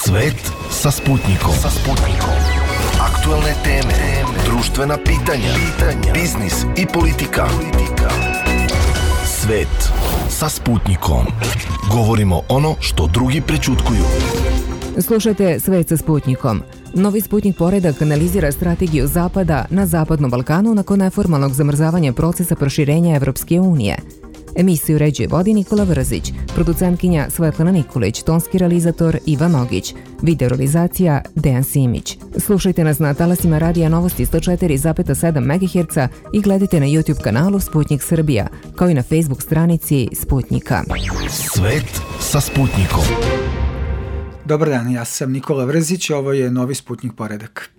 Svet sa Sputnikom. Aktuelne teme, društvena pitanja, biznis i politika. Svet sa Sputnikom. Govorimo ono što drugi prećutkuju. Slušajte Svet sa Sputnikom. Novi Sputnik poredak analizira strategiju Zapada na Zapadnom Balkanu nakon neformalnog zamrzavanja procesa proširenja Evropske unije. Emisiju uređuje vodi Nikola Vrzić, producentkinja Svetlana Nikolić, tonski realizator Ivan Nogić, video realizacija Dejan Simić. Slušajte nas na talasima Radija Novosti 104,7 MHz i gledajte na YouTube kanalu Sputnik Srbija, kao i na Facebook stranici Sputnika. Svet sa Sputnikom. Dobar dan, ja sam Nikola Vrzić, ovo je Novi Sputnik poredak.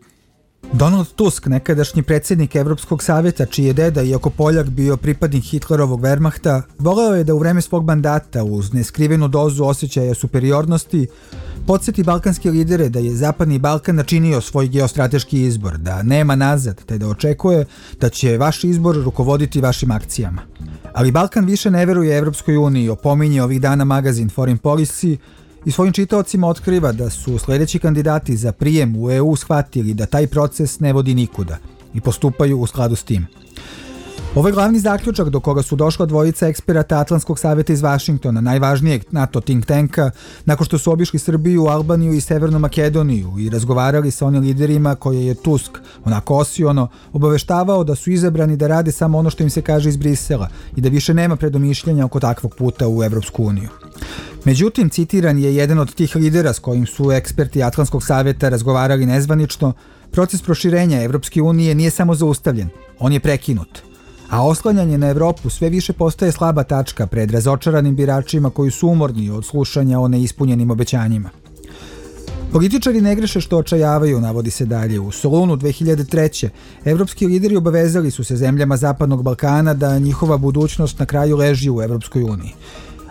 Donald Tusk, nekadašnji predsjednik Evropskog savjeta, čiji je deda, iako Poljak, bio pripadnik Hitlerovog Wehrmachta, voleo je da u vreme svog mandata, uz neskrivenu dozu osjećaja superiornosti, podsjeti balkanske lidere da je Zapadni Balkan načinio svoj geostrateški izbor, da nema nazad, te da očekuje da će vaš izbor rukovoditi vašim akcijama. Ali Balkan više ne veruje Evropskoj uniji, opominje ovih dana magazin Foreign Policy, i svojim čitaocima otkriva da su sljedeći kandidati za prijem u EU shvatili da taj proces ne vodi nikuda i postupaju u skladu s tim. Ovo je glavni zaključak do koga su došla dvojica eksperata Atlantskog savjeta iz Vašingtona, najvažnijeg NATO think tanka, nakon što su obišli Srbiju, Albaniju i Severnu Makedoniju i razgovarali sa onim liderima koje je Tusk, onako osiono, obaveštavao da su izabrani da rade samo ono što im se kaže iz Brisela i da više nema predomišljanja oko takvog puta u Evropsku uniju. Međutim, citiran je jedan od tih lidera s kojim su eksperti Atlantskog savjeta razgovarali nezvanično, proces proširenja Evropske unije nije samo zaustavljen, on je prekinut. A oslanjanje na Evropu sve više postaje slaba tačka pred razočaranim biračima koji su umorni od slušanja o neispunjenim obećanjima. Političari ne greše što očajavaju, navodi se dalje. U Solunu 2003. evropski lideri obavezali su se zemljama Zapadnog Balkana da njihova budućnost na kraju leži u Evropskoj uniji.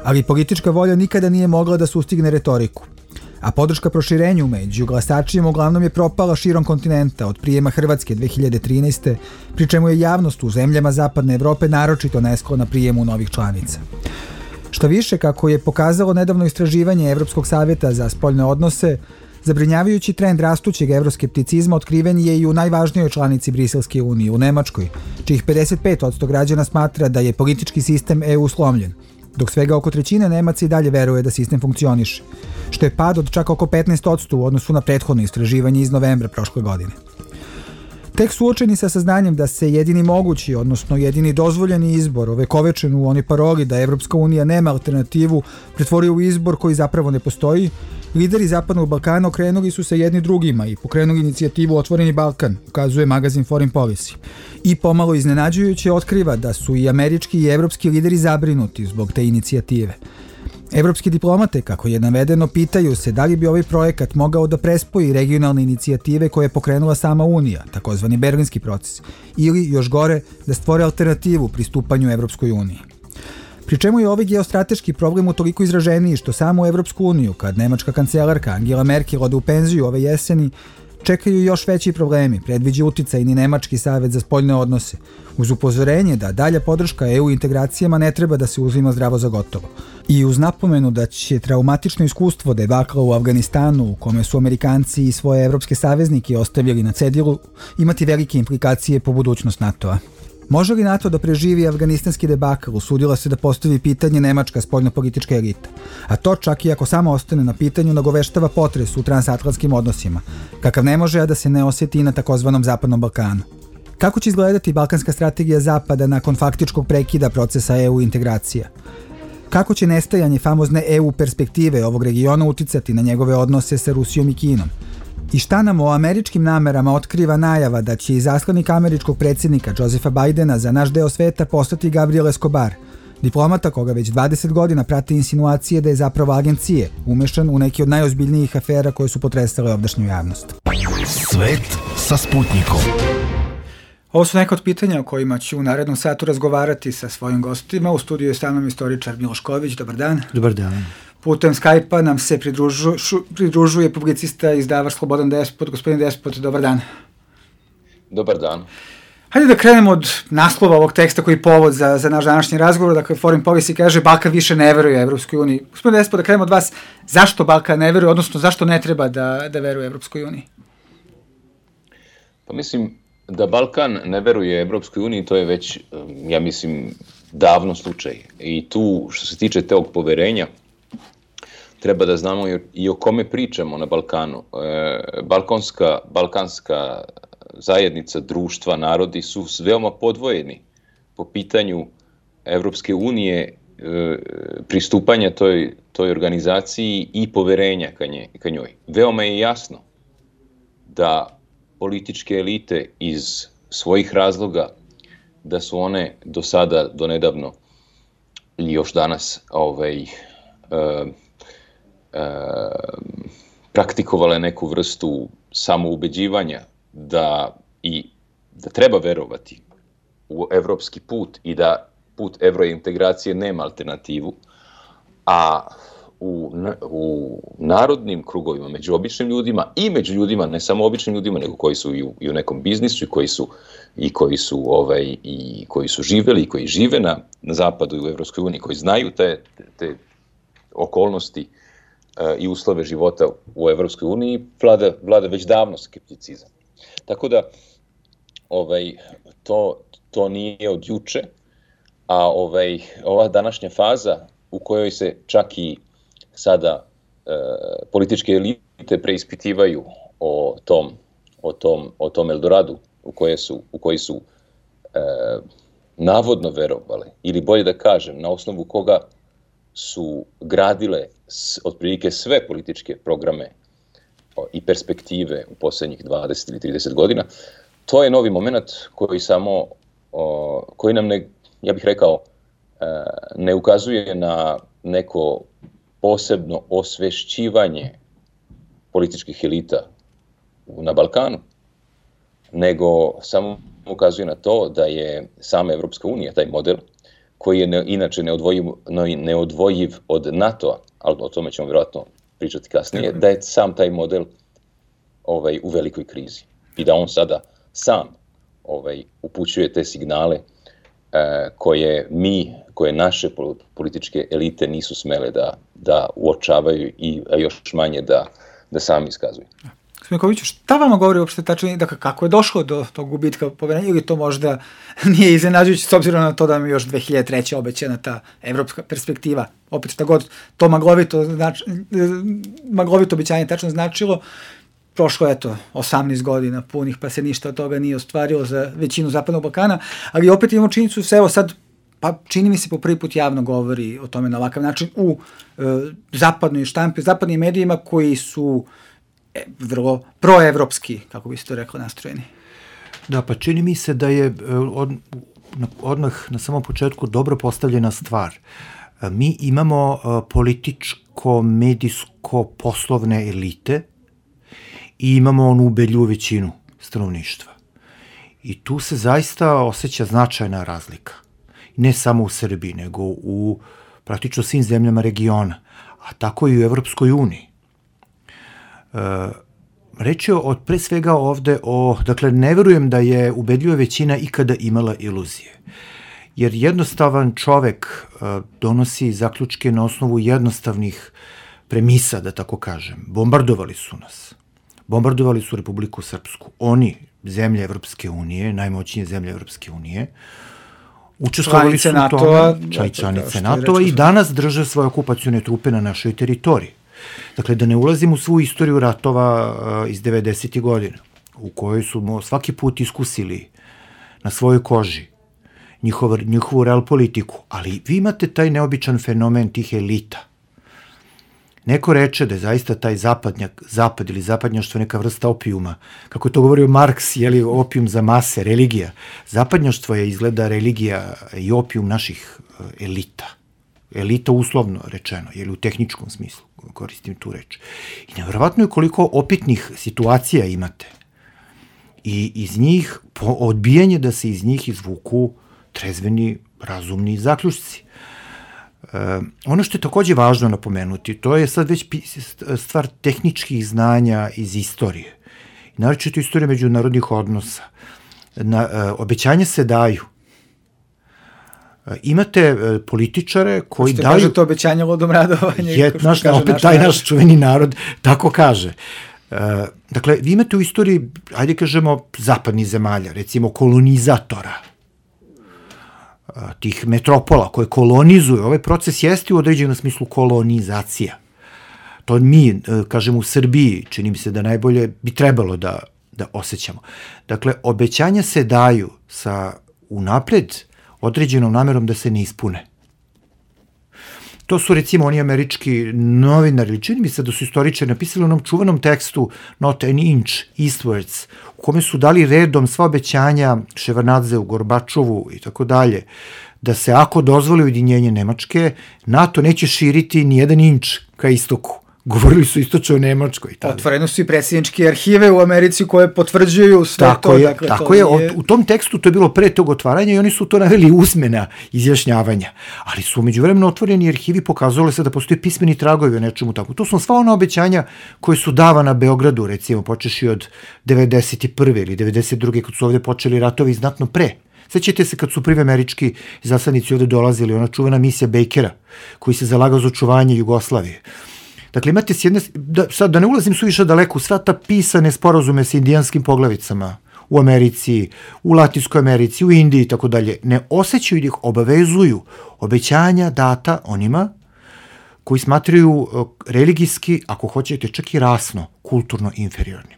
Ali politička volja nikada nije mogla da sustigne retoriku. A podrška proširenju među glasačima uglavnom je propala širom kontinenta od prijema Hrvatske 2013. pri čemu je javnost u zemljama Zapadne Evrope naročito nesklona prijemu novih članica. Što više, kako je pokazalo nedavno istraživanje Evropskog savjeta za spoljne odnose, zabrinjavajući trend rastućeg evroskepticizma otkriven je i u najvažnijoj članici Briselske unije, u Nemačkoj, čijih 55% građana smatra da je politički sistem EU slomljen, dok svega oko trećine Nemaca i dalje veruje da sistem funkcioniše, što je pad od čak oko 15% u odnosu na prethodno istraživanje iz novembra prošle godine. Tek suočeni sa saznanjem da se jedini mogući, odnosno jedini dozvoljeni izbor, ovekovečen u onoj paroli da Evropska unija nema alternativu, pretvorio u izbor koji zapravo ne postoji, lideri Zapadnog Balkana okrenuli su se jedni drugima i pokrenuli inicijativu Otvoreni Balkan, ukazuje magazin Foreign Policy. I pomalo iznenađujuće otkriva da su i američki i evropski lideri zabrinuti zbog te inicijative. Evropski diplomate, kako je navedeno, pitaju se da li bi ovaj projekat mogao da prespoji regionalne inicijative koje je pokrenula sama Unija, takozvani Berlinski proces, ili, još gore, da stvore alternativu pristupanju Evropskoj uniji. Pri čemu je ovaj geostrateški problem utoliko izraženiji što samu Evropsku uniju, kad nemačka kancelarka Angela Merkel ode u penziju ove jeseni, čekaju još veći problemi, predviđa uticajni Nemački savet za spoljne odnose, uz upozorenje da dalja podrška EU integracijama ne treba da se uzima zdravo za gotovo. I uz napomenu da će traumatično iskustvo debakla u Afganistanu, u kome su Amerikanci i svoje evropske saveznike ostavili na cedilu, imati velike implikacije po budućnost NATO-a. Može li NATO da preživi afganistanski debakl, usudila se da postavi pitanje nemačka spoljnopolitička elita. A to čak i ako samo ostane na pitanju, nagoveštava potres u transatlantskim odnosima, kakav ne može da se ne osjeti i na takozvanom Zapadnom Balkanu. Kako će izgledati balkanska strategija Zapada nakon faktičkog prekida procesa EU integracija? Kako će nestajanje famozne EU perspektive ovog regiona uticati na njegove odnose sa Rusijom i Kinom? I šta nam o američkim namerama otkriva najava da će izaslanik američkog predsjednika Josepha Bidena za naš deo sveta postati Gabriel Escobar, diplomata koga već 20 godina prati insinuacije da je zapravo agencije umešan u neki od najozbiljnijih afera koje su potresale ovdašnju javnost. Svet sa Sputnikom. Ovo su neka od pitanja o kojima ću u narednom satu razgovarati sa svojim gostima. U studiju je sa mnom istoričar Miloš Ković. Dobar dan. Dobar dan. Putem Skype-a nam se pridružuje publicista i izdavač Slobodan Despot. Gospodin Despot, dobar dan. Dobar dan. Hajde da krenemo od naslova ovog teksta koji je povod za naš današnji razgovor. Dakle, Foreign Policy kaže Balkan više ne veruje Evropskoj uniji. Gospodine Despot, da krenemo od vas, zašto Balkan ne veruje, odnosno zašto ne treba da veruje Evropskoj uniji? Pa mislim da Balkan ne veruje Evropskoj uniji, to je već, ja mislim, davno slučaj. I tu, što se tiče tog poverenja, treba da znamo i o kome pričamo na Balkanu. Balkanska zajednica, društva, narodi su veoma podvojeni po pitanju Evropske unije, pristupanja toj organizaciji i poverenja ka njoj. Veoma je jasno da političke elite iz svojih razloga, da su one do sada, do nedavno ili još danas praktikovale neku vrstu samoubeđivanja da treba verovati u evropski put i da put evrointegracije nema alternativu, a u narodnim krugovima, među običnim ljudima i među ljudima, ne samo običnim ljudima, nego koji su i u nekom biznisu i koji su živeli i koji žive na zapadu i u Evropskoj uniji, koji znaju te okolnosti i uslove života u Evropskoj uniji, vlada već davno skepticizam. Tako da to nije od juče, a ova današnja faza u kojoj se čak i sada političke elite preispitivaju o tom Eldoradu u koji su navodno verovale, ili bolje da kažem, na osnovu koga su gradile otprilike sve političke programe i perspektive u posljednjih 20 ili 30 godina, to je novi moment koji nam ja bih rekao, ne ukazuje na neko posebno osvešćivanje političkih elita na Balkanu, nego samo ukazuje na to da je sama Evropska unija, taj model, koji je inače neodvojiv od NATO-a, ali o tome ćemo vjerojatno pričati kasnije, da je sam taj model u velikoj krizi i da on sada sam upućuje te signale koje naše političke elite nisu smele da uočavaju i još manje da sami iskazuju. Smikoviću, šta vama govori uopšte tačno, dakle, kako je došlo do tog gubitka poverenja, ili to možda nije iznenađujuće s obzirom na to da mi još 2003. obećana ta evropska perspektiva, opet šta god to maglovito obećanje tačno značilo, prošlo je 18 godina punih, pa se ništa od toga nije ostvarilo za većinu Zapadnog Balkana, ali opet imamo činjenicu se, evo sad, pa čini mi se po prvi put javno govori o tome na ovakav način u zapadnoj štampi, zapadnim medijima koji su vrlo proevropski, kako bi se to reklo, nastrojeni. Da, pa čini mi se da je odmah na samom početku dobro postavljena stvar. Mi imamo političko, medijsko, poslovne elite i imamo onu ubedljivu većinu stanovništva. I tu se zaista osjeća značajna razlika. Ne samo u Srbiji, nego u praktično svim zemljama regiona, a tako i u Evropskoj uniji. Reč je pre svega ovde dakle, ne verujem da je ubedljiva većina ikada imala iluzije. Jer jednostavan čovek donosi zaključke na osnovu jednostavnih premisa, da tako kažem. Bombardovali su nas. Bombardovali su Republiku Srpsku. Oni, zemlje Evropske unije, najmoćnije zemlje Evropske unije, učestvovali su u tome, članice NATO-a i danas drže svoje okupacione trupe na našoj teritoriji. Dakle, da ne ulazim u svu istoriju ratova iz 90. godina, u kojoj su svaki put iskusili na svojoj koži njihovu real politiku, ali vi imate taj neobičan fenomen tih elita. Neko reče da je zaista taj zapad ili zapadnjaštvo neka vrsta opijuma. Kako je to govorio Marks, je opijum za mase, religija. Zapadnjaštvo je izgleda religija i opijum naših elita. Elita uslovno rečeno, u tehničkom smislu koristim tu reč. I nevjerovatno je koliko opitnih situacija imate. I iz njih, odbijanje da se iz njih izvuku trezveni, razumni zaključci. Ono što je takođe važno napomenuti, to je sad već stvar tehničkih znanja iz istorije. Naročito istorije međunarodnih odnosa. Obećanja se daju. Imate političare koji daju... Kaže to obećanje lodom radovanje. Opet taj naš čuveni narod tako kaže. Dakle, vi imate u istoriji, ajde kažemo, zapadnih zemalja, recimo kolonizatora, tih metropola koje kolonizuju. Ovaj proces jeste u određenom smislu kolonizacija. To mi, kažemo, u Srbiji, čini mi se da najbolje bi trebalo da osjećamo. Dakle, obećanja se daju sa unapred određenom namerom da se ne ispune. To su recimo oni američki novinari, čini mi se da su istoričari napisali u onom čuvenom tekstu Not an inch eastwards, u kome su dali redom sva obećanja Ševarnadzeu, Gorbačovu i tako dalje, da se ako dozvoli ujedinjenje Nemačke, NATO neće širiti ni jedan inč ka istoku. Govorili su istočno o Nemačkoj. Otvoreno su i predsjedničke arhive u Americi koje potvrđuju sve to. Tako je. U tom tekstu to je bilo pre tog otvaranja i oni su to naveli usmena izjašnjavanja. Ali su međuvremeno otvoreni arhivi pokazali se da postoje pismeni tragovi o nečemu tako. To su sva ona obećanja koje su davana Beogradu, recimo, počeši od 91. ili 92. kad su ovde počeli ratovi znatno pre. Sećate se kad su prvi američki zasadnici ovde dolazili, ona čuvena misija Bakera, koji se zalagao za očuvanje Jugoslavije. Dakle, imate s jedne, sad da ne ulazim suviše daleko, sva ta pisane sporazume sa indijanskim poglavicama u Americi, u Latinskoj Americi, u Indiji i tako dalje, ne osjećaju da ih obavezuju obećanja data onima koji smatraju religijski, ako hoćete, čak i rasno, kulturno inferiornim.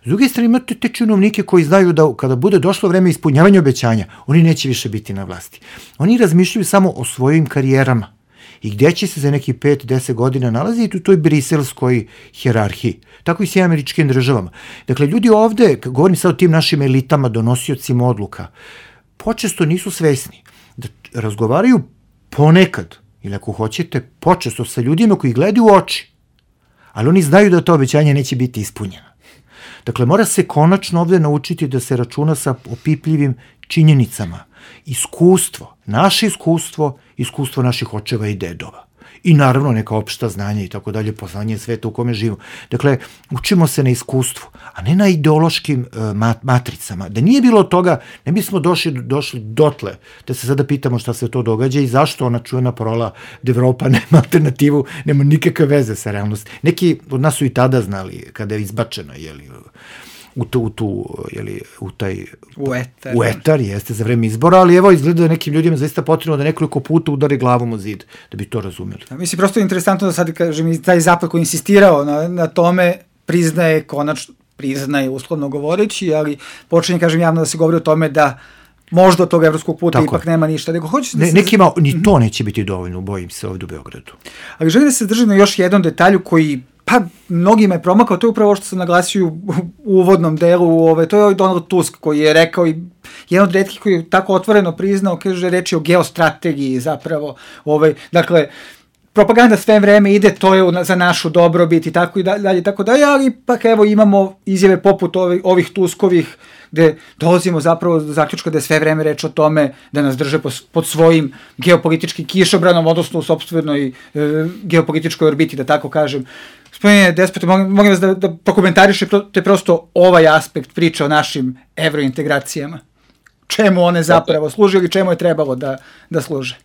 S druge strane, imate te činovnike koji znaju da kada bude došlo vreme ispunjavanja obećanja, oni neće više biti na vlasti. Oni razmišljaju samo o svojim karijerama i gde će se za nekih 5-10 godina nalaziti u toj briselskoj hijerarhiji. Tako i s američkim državama. Dakle, ljudi ovde, govorim sad o tim našim elitama, donosiocima odluka, počesto nisu svesni da razgovaraju ponekad, ili ako hoćete, počesto sa ljudima koji gledaju u oči, ali oni znaju da to obećanje neće biti ispunjeno. Dakle, mora se konačno ovde naučiti da se računa sa opipljivim činjenicama. Iskustvo, naše iskustvo naših očeva i dedova. I naravno neka opšta znanja i tako dalje, poznanje sveta u kome živimo. Dakle, učimo se na iskustvu, a ne na ideološkim matricama. Da nije bilo toga, ne bismo došli dotle, da se sada pitamo šta se to događa i zašto ona čuvena parola da Evropa nema alternativu, nema nikakve veze sa realnosti. Neki od nas su i tada znali, kada je izbačeno, u etar, jeste, za vreme izbora, ali evo izgleda da nekim ljudima zaista potrebno da nekoliko puta udari glavom u zid, da bi to razumeli. Mislim, prosto je interesantno da sad, kažem, taj zapad koji insistirao na tome priznaje uslovno govoreći, ali počinje, kažem, javno da se govori o tome da možda od tog evropskog puta ipak nema ništa. Nekima ni to neće biti dovoljno, bojim se, ovdje u Beogradu. Ali želim da se držim na još jednom detalju koji mnogima je promakao, to je upravo što sam naglasio u uvodnom delu, to je Donald Tusk koji je rekao i jedan od retkih koji je tako otvoreno priznao, kaže, reč je o geostrategiji zapravo, dakle, propaganda sve vreme ide, to je za našu dobrobit i tako dalje, ali ipak evo imamo izjave poput ovih Tuskovih, gde dolazimo zapravo do zaključka da je sve vreme reč o tome da nas drže pod svojim geopolitičkim kišobranom, odnosno u sopstvenoj geopolitičkoj orbiti, da tako kažem. Gospodine Despote, molim vas da prokomentarišete prosto ovaj aspekt priče o našim evrointegracijama. Čemu one zapravo služe ili čemu je trebalo da služe?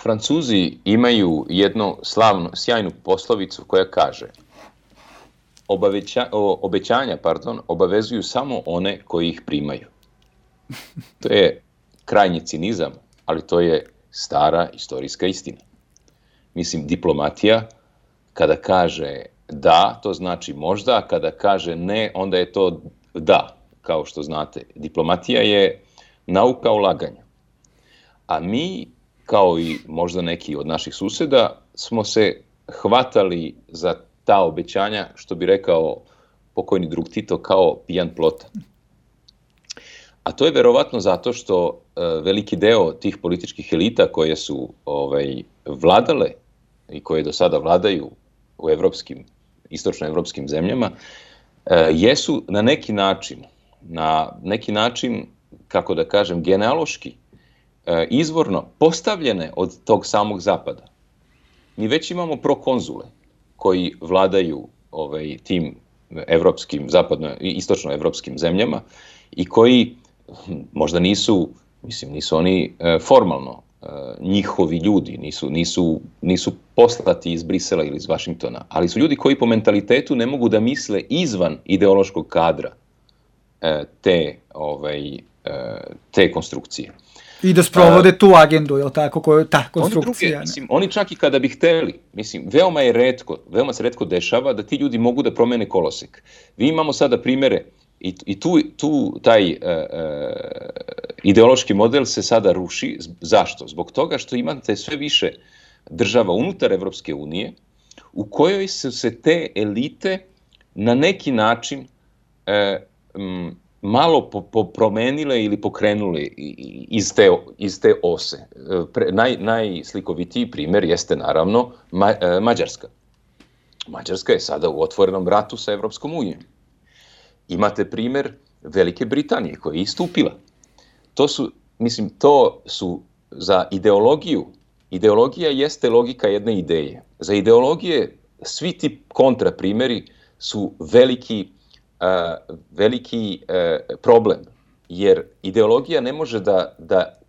Francuzi imaju jednu sjajnu poslovicu koja kaže obećanja obavezuju samo one koji ih primaju. To je krajnji cinizam, ali to je stara istorijska istina. Mislim, diplomatija, kada kaže da, to znači možda, a kada kaže ne, onda je to da, kao što znate. Diplomatija je nauka ulaganja. A mi, kao i možda neki od naših suseda, smo se hvatali za ta obećanja, što bi rekao pokojni drug Tito, kao pijan plota. A to je verovatno zato što veliki deo tih političkih elita koje su vladale i koje do sada vladaju u istočnoevropskim zemljama, jesu na neki način, kako da kažem, genealoški, izvorno postavljene od tog samog zapada. Mi već imamo prokonzule koji vladaju tim istočnoevropskim zemljama i koji možda nisu oni formalno njihovi ljudi, nisu poslati iz Brisela ili iz Vašingtona, ali su ljudi koji po mentalitetu ne mogu da misle izvan ideološkog kadra te konstrukcije. I da sprovode tu agendu, je li tako, ta konstrukcija? Oni čak i kada bi hteli, veoma se retko dešava da ti ljudi mogu da promene kolosek. Vi imamo sada primere i tu taj ideološki model se sada ruši. Zašto? Zbog toga što imate sve više država unutar Evropske unije u kojoj su se te elite na neki način malo promenile ili pokrenule iz te ose. Najslikovitiji primer jeste naravno Mađarska. Mađarska je sada u otvorenom ratu sa Evropskom unijom. Imate primer Velike Britanije koja je istupila. To su za ideologiju. Ideologija jeste logika jedne ideje. Za ideologije svi ti kontraprimeri su veliki problem, jer ideologija ne može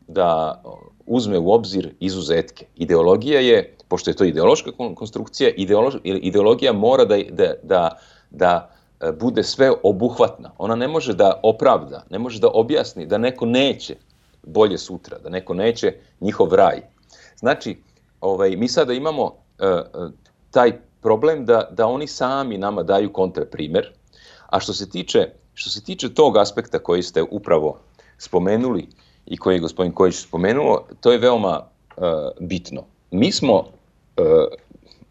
da uzme u obzir izuzetke. Ideologija je, pošto je to ideološka konstrukcija, ideologija mora da bude sve obuhvatna. Ona ne može da opravda, ne može da objasni da neko neće bolje sutra, da neko neće njihov raj. Znači, mi sada imamo taj problem da oni sami nama daju kontraprimer, a što se tiče tog aspekta koji ste upravo spomenuli i koji je gospodin Kojić spomenuo, to je veoma bitno. Mi smo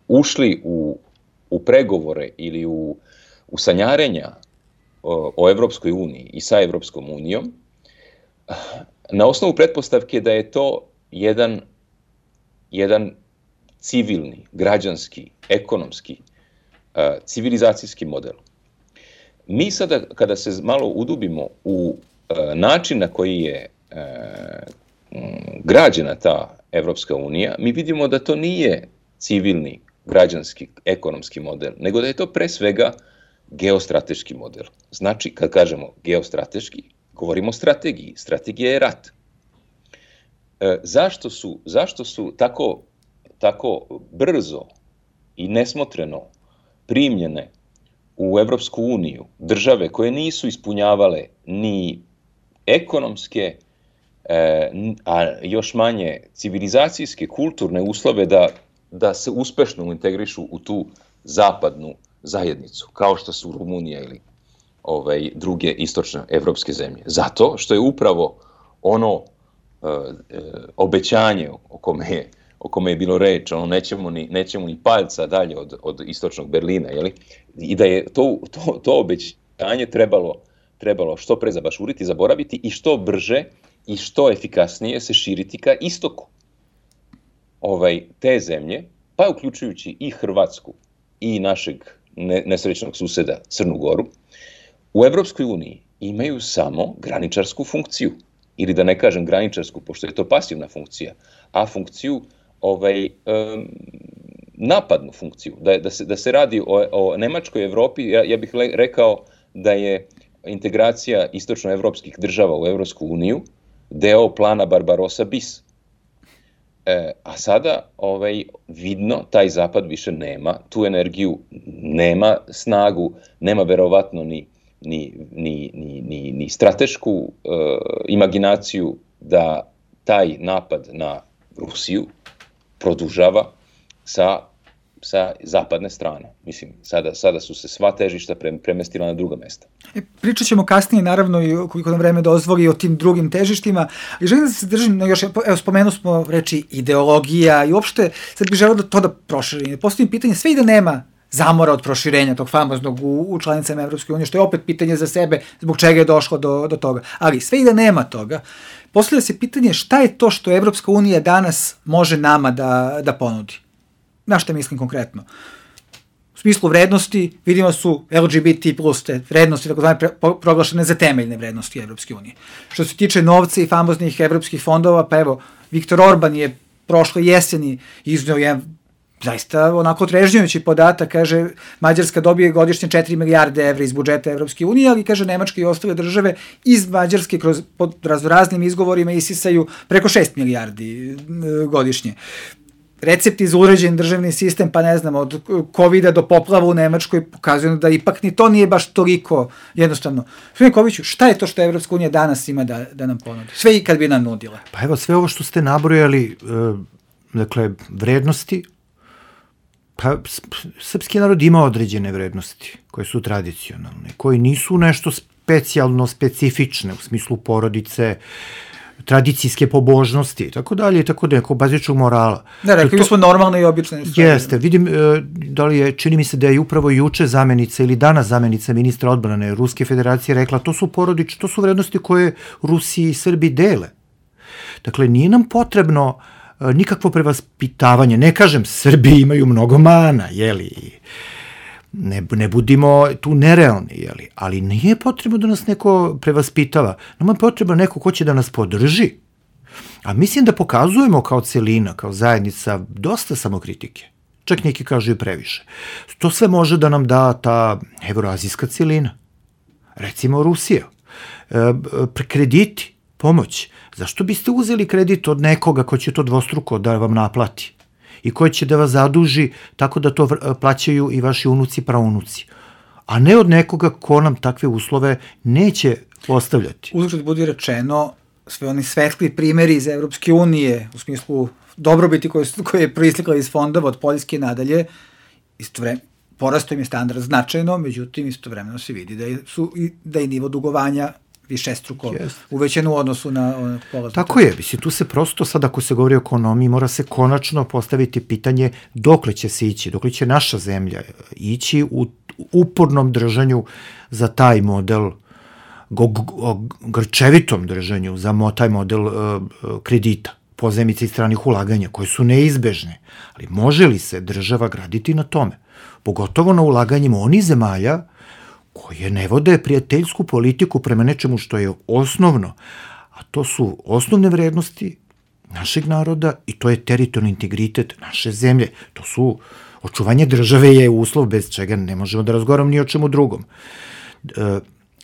ušli u pregovore ili u sanjarenja o Evropskoj uniji i sa Evropskom unijom na osnovu pretpostavke da je to jedan civilni, građanski, ekonomski, civilizacijski model. Mi sada, kada se malo udubimo u način na koji je građena ta Evropska unija, mi vidimo da to nije civilni, građanski, ekonomski model, nego da je to pre svega geostrateški model. Znači, kad kažemo geostrateški, govorimo o strategiji. Strategija je rat. Zašto su tako brzo i nesmotreno primljene u Evropsku uniju države koje nisu ispunjavale ni ekonomske, a još manje civilizacijske, kulturne uslove da se uspešno integrišu u tu zapadnu zajednicu, kao što su Rumunija ili druge istočne evropske zemlje. Zato što je upravo ono obećanje o kome je bilo reč, nećemo ni palca dalje od istočnog Berlina, i da je to obećanje trebalo što pre zabašuriti, zaboraviti i što brže i što efikasnije se širiti ka istoku. Te zemlje, pa uključujući i Hrvatsku i našeg nesrećnog suseda Crnu Goru, u Evropskoj uniji imaju samo graničarsku funkciju, ili da ne kažem graničarsku, pošto je to pasivna funkcija, a funkciju napadnu funkciju. Da se radi o Nemačkoj Evropi, ja bih rekao da je integracija istočnoevropskih država u Evropsku uniju deo plana Barbarossa bis. A sada vidno taj zapad više nema tu energiju, nema snagu, nema verovatno ni stratešku imaginaciju da taj napad na Rusiju produžava sa zapadne strane. Mislim, sada su se sva težišta premestila na druga mesta. Pričat ćemo kasnije, naravno, i koliko nam vreme dozvoli o tim drugim težištima. I želim da se držim, spomenuo smo reči ideologija i uopšte sad bih želeo to da proširim. Postavim pitanje, sve i da nema zamora od proširenja tog famoznog u članicama Evropske unije, što je opet pitanje za sebe zbog čega je došlo do toga. Ali sve i da nema toga, postavlja se pitanje šta je to što Evropska unija danas može nama da ponudi. Na šta mislim konkretno? U smislu vrednosti, vidimo su LGBT plus te vrednosti, takozvane proglašene za temeljne vrednosti Evropske unije. Što se tiče novca i famoznih evropskih fondova, pa evo, Viktor Orban je prošle jeseni izneo jedan zaista onako otrežnjujući podatak, kaže, Mađarska dobije godišnje 4 milijarde evra iz budžeta Evropske unije, ali, kaže, Nemačka i ostale države iz Mađarske pod raznim izgovorima isisaju preko 6 milijardi godišnje. Recepti za uređen državni sistem, pa ne znam, od COVID-a do poplava u Nemačkoj pokazuju da ipak ni to nije baš toliko jednostavno. Gospodine Koviću, šta je to što Evropska unija danas ima da nam ponudi? Sve i kad bi nam nudila. Pa evo, sve ovo što ste nabrojali, dakle, vrednosti, pa srpski narod ima određene vrednosti koje su tradicionalne, koje nisu nešto specijalno specifične u smislu porodice, tradicijske pobožnosti, tako dalje, tako da neko bazičnog morala. Da, rekli smo normalne i obične stvari. Jeste, vidim da li je, čini mi se da je upravo juče zamenica ili danas zamenica ministra odbrane Ruske federacije rekla, to su vrednosti koje Rusi i Srbi dele. Dakle, nije nam potrebno nikakvo prevaspitavanje. Ne kažem, Srbi imaju mnogo mana, jeli, ne budimo tu nerealni, jeli, ali nije potrebno da nas neko prevaspitava. Nama je potrebno neko ko će da nas podrži. A mislim da pokazujemo kao celina, kao zajednica, dosta samokritike. Čak neki kažu i previše. To sve može da nam da ta evroazijska celina. Recimo Rusija. Krediti, pomoć. Zašto biste uzeli kredit od nekoga ko će to dvostruko da vam naplati i koji će da vas zaduži tako da to plaćaju i vaši unuci, praunuci, a ne od nekoga ko nam takve uslove neće postavljati. Uzgled budi rečeno, sve oni svetli primeri iz Evropske unije u smislu dobrobiti koje je proistekla iz fondova od Poljske nadalje, porastao im je standard značajno, međutim istovremeno se vidi da je nivo dugovanja višestruko uvećen u odnosu na polaznu. Tako je, mislim, tu se prosto sad ako se govori o ekonomiji, mora se konačno postaviti pitanje dokle će se ići, dokle će naša zemlja ići u upornom držanju za taj model, grčevitom držanju za taj model kredita, pozajmica i stranih ulaganja, koje su neizbežne. Ali može li se država graditi na tome? Pogotovo na ulaganjima onih zemalja koje ne vode prijateljsku politiku prema nečemu što je osnovno, a to su osnovne vrednosti našeg naroda i to je teritorijalni integritet naše zemlje. To su, očuvanje države je uslov bez čega ne možemo da razgovaramo ni o čemu drugom.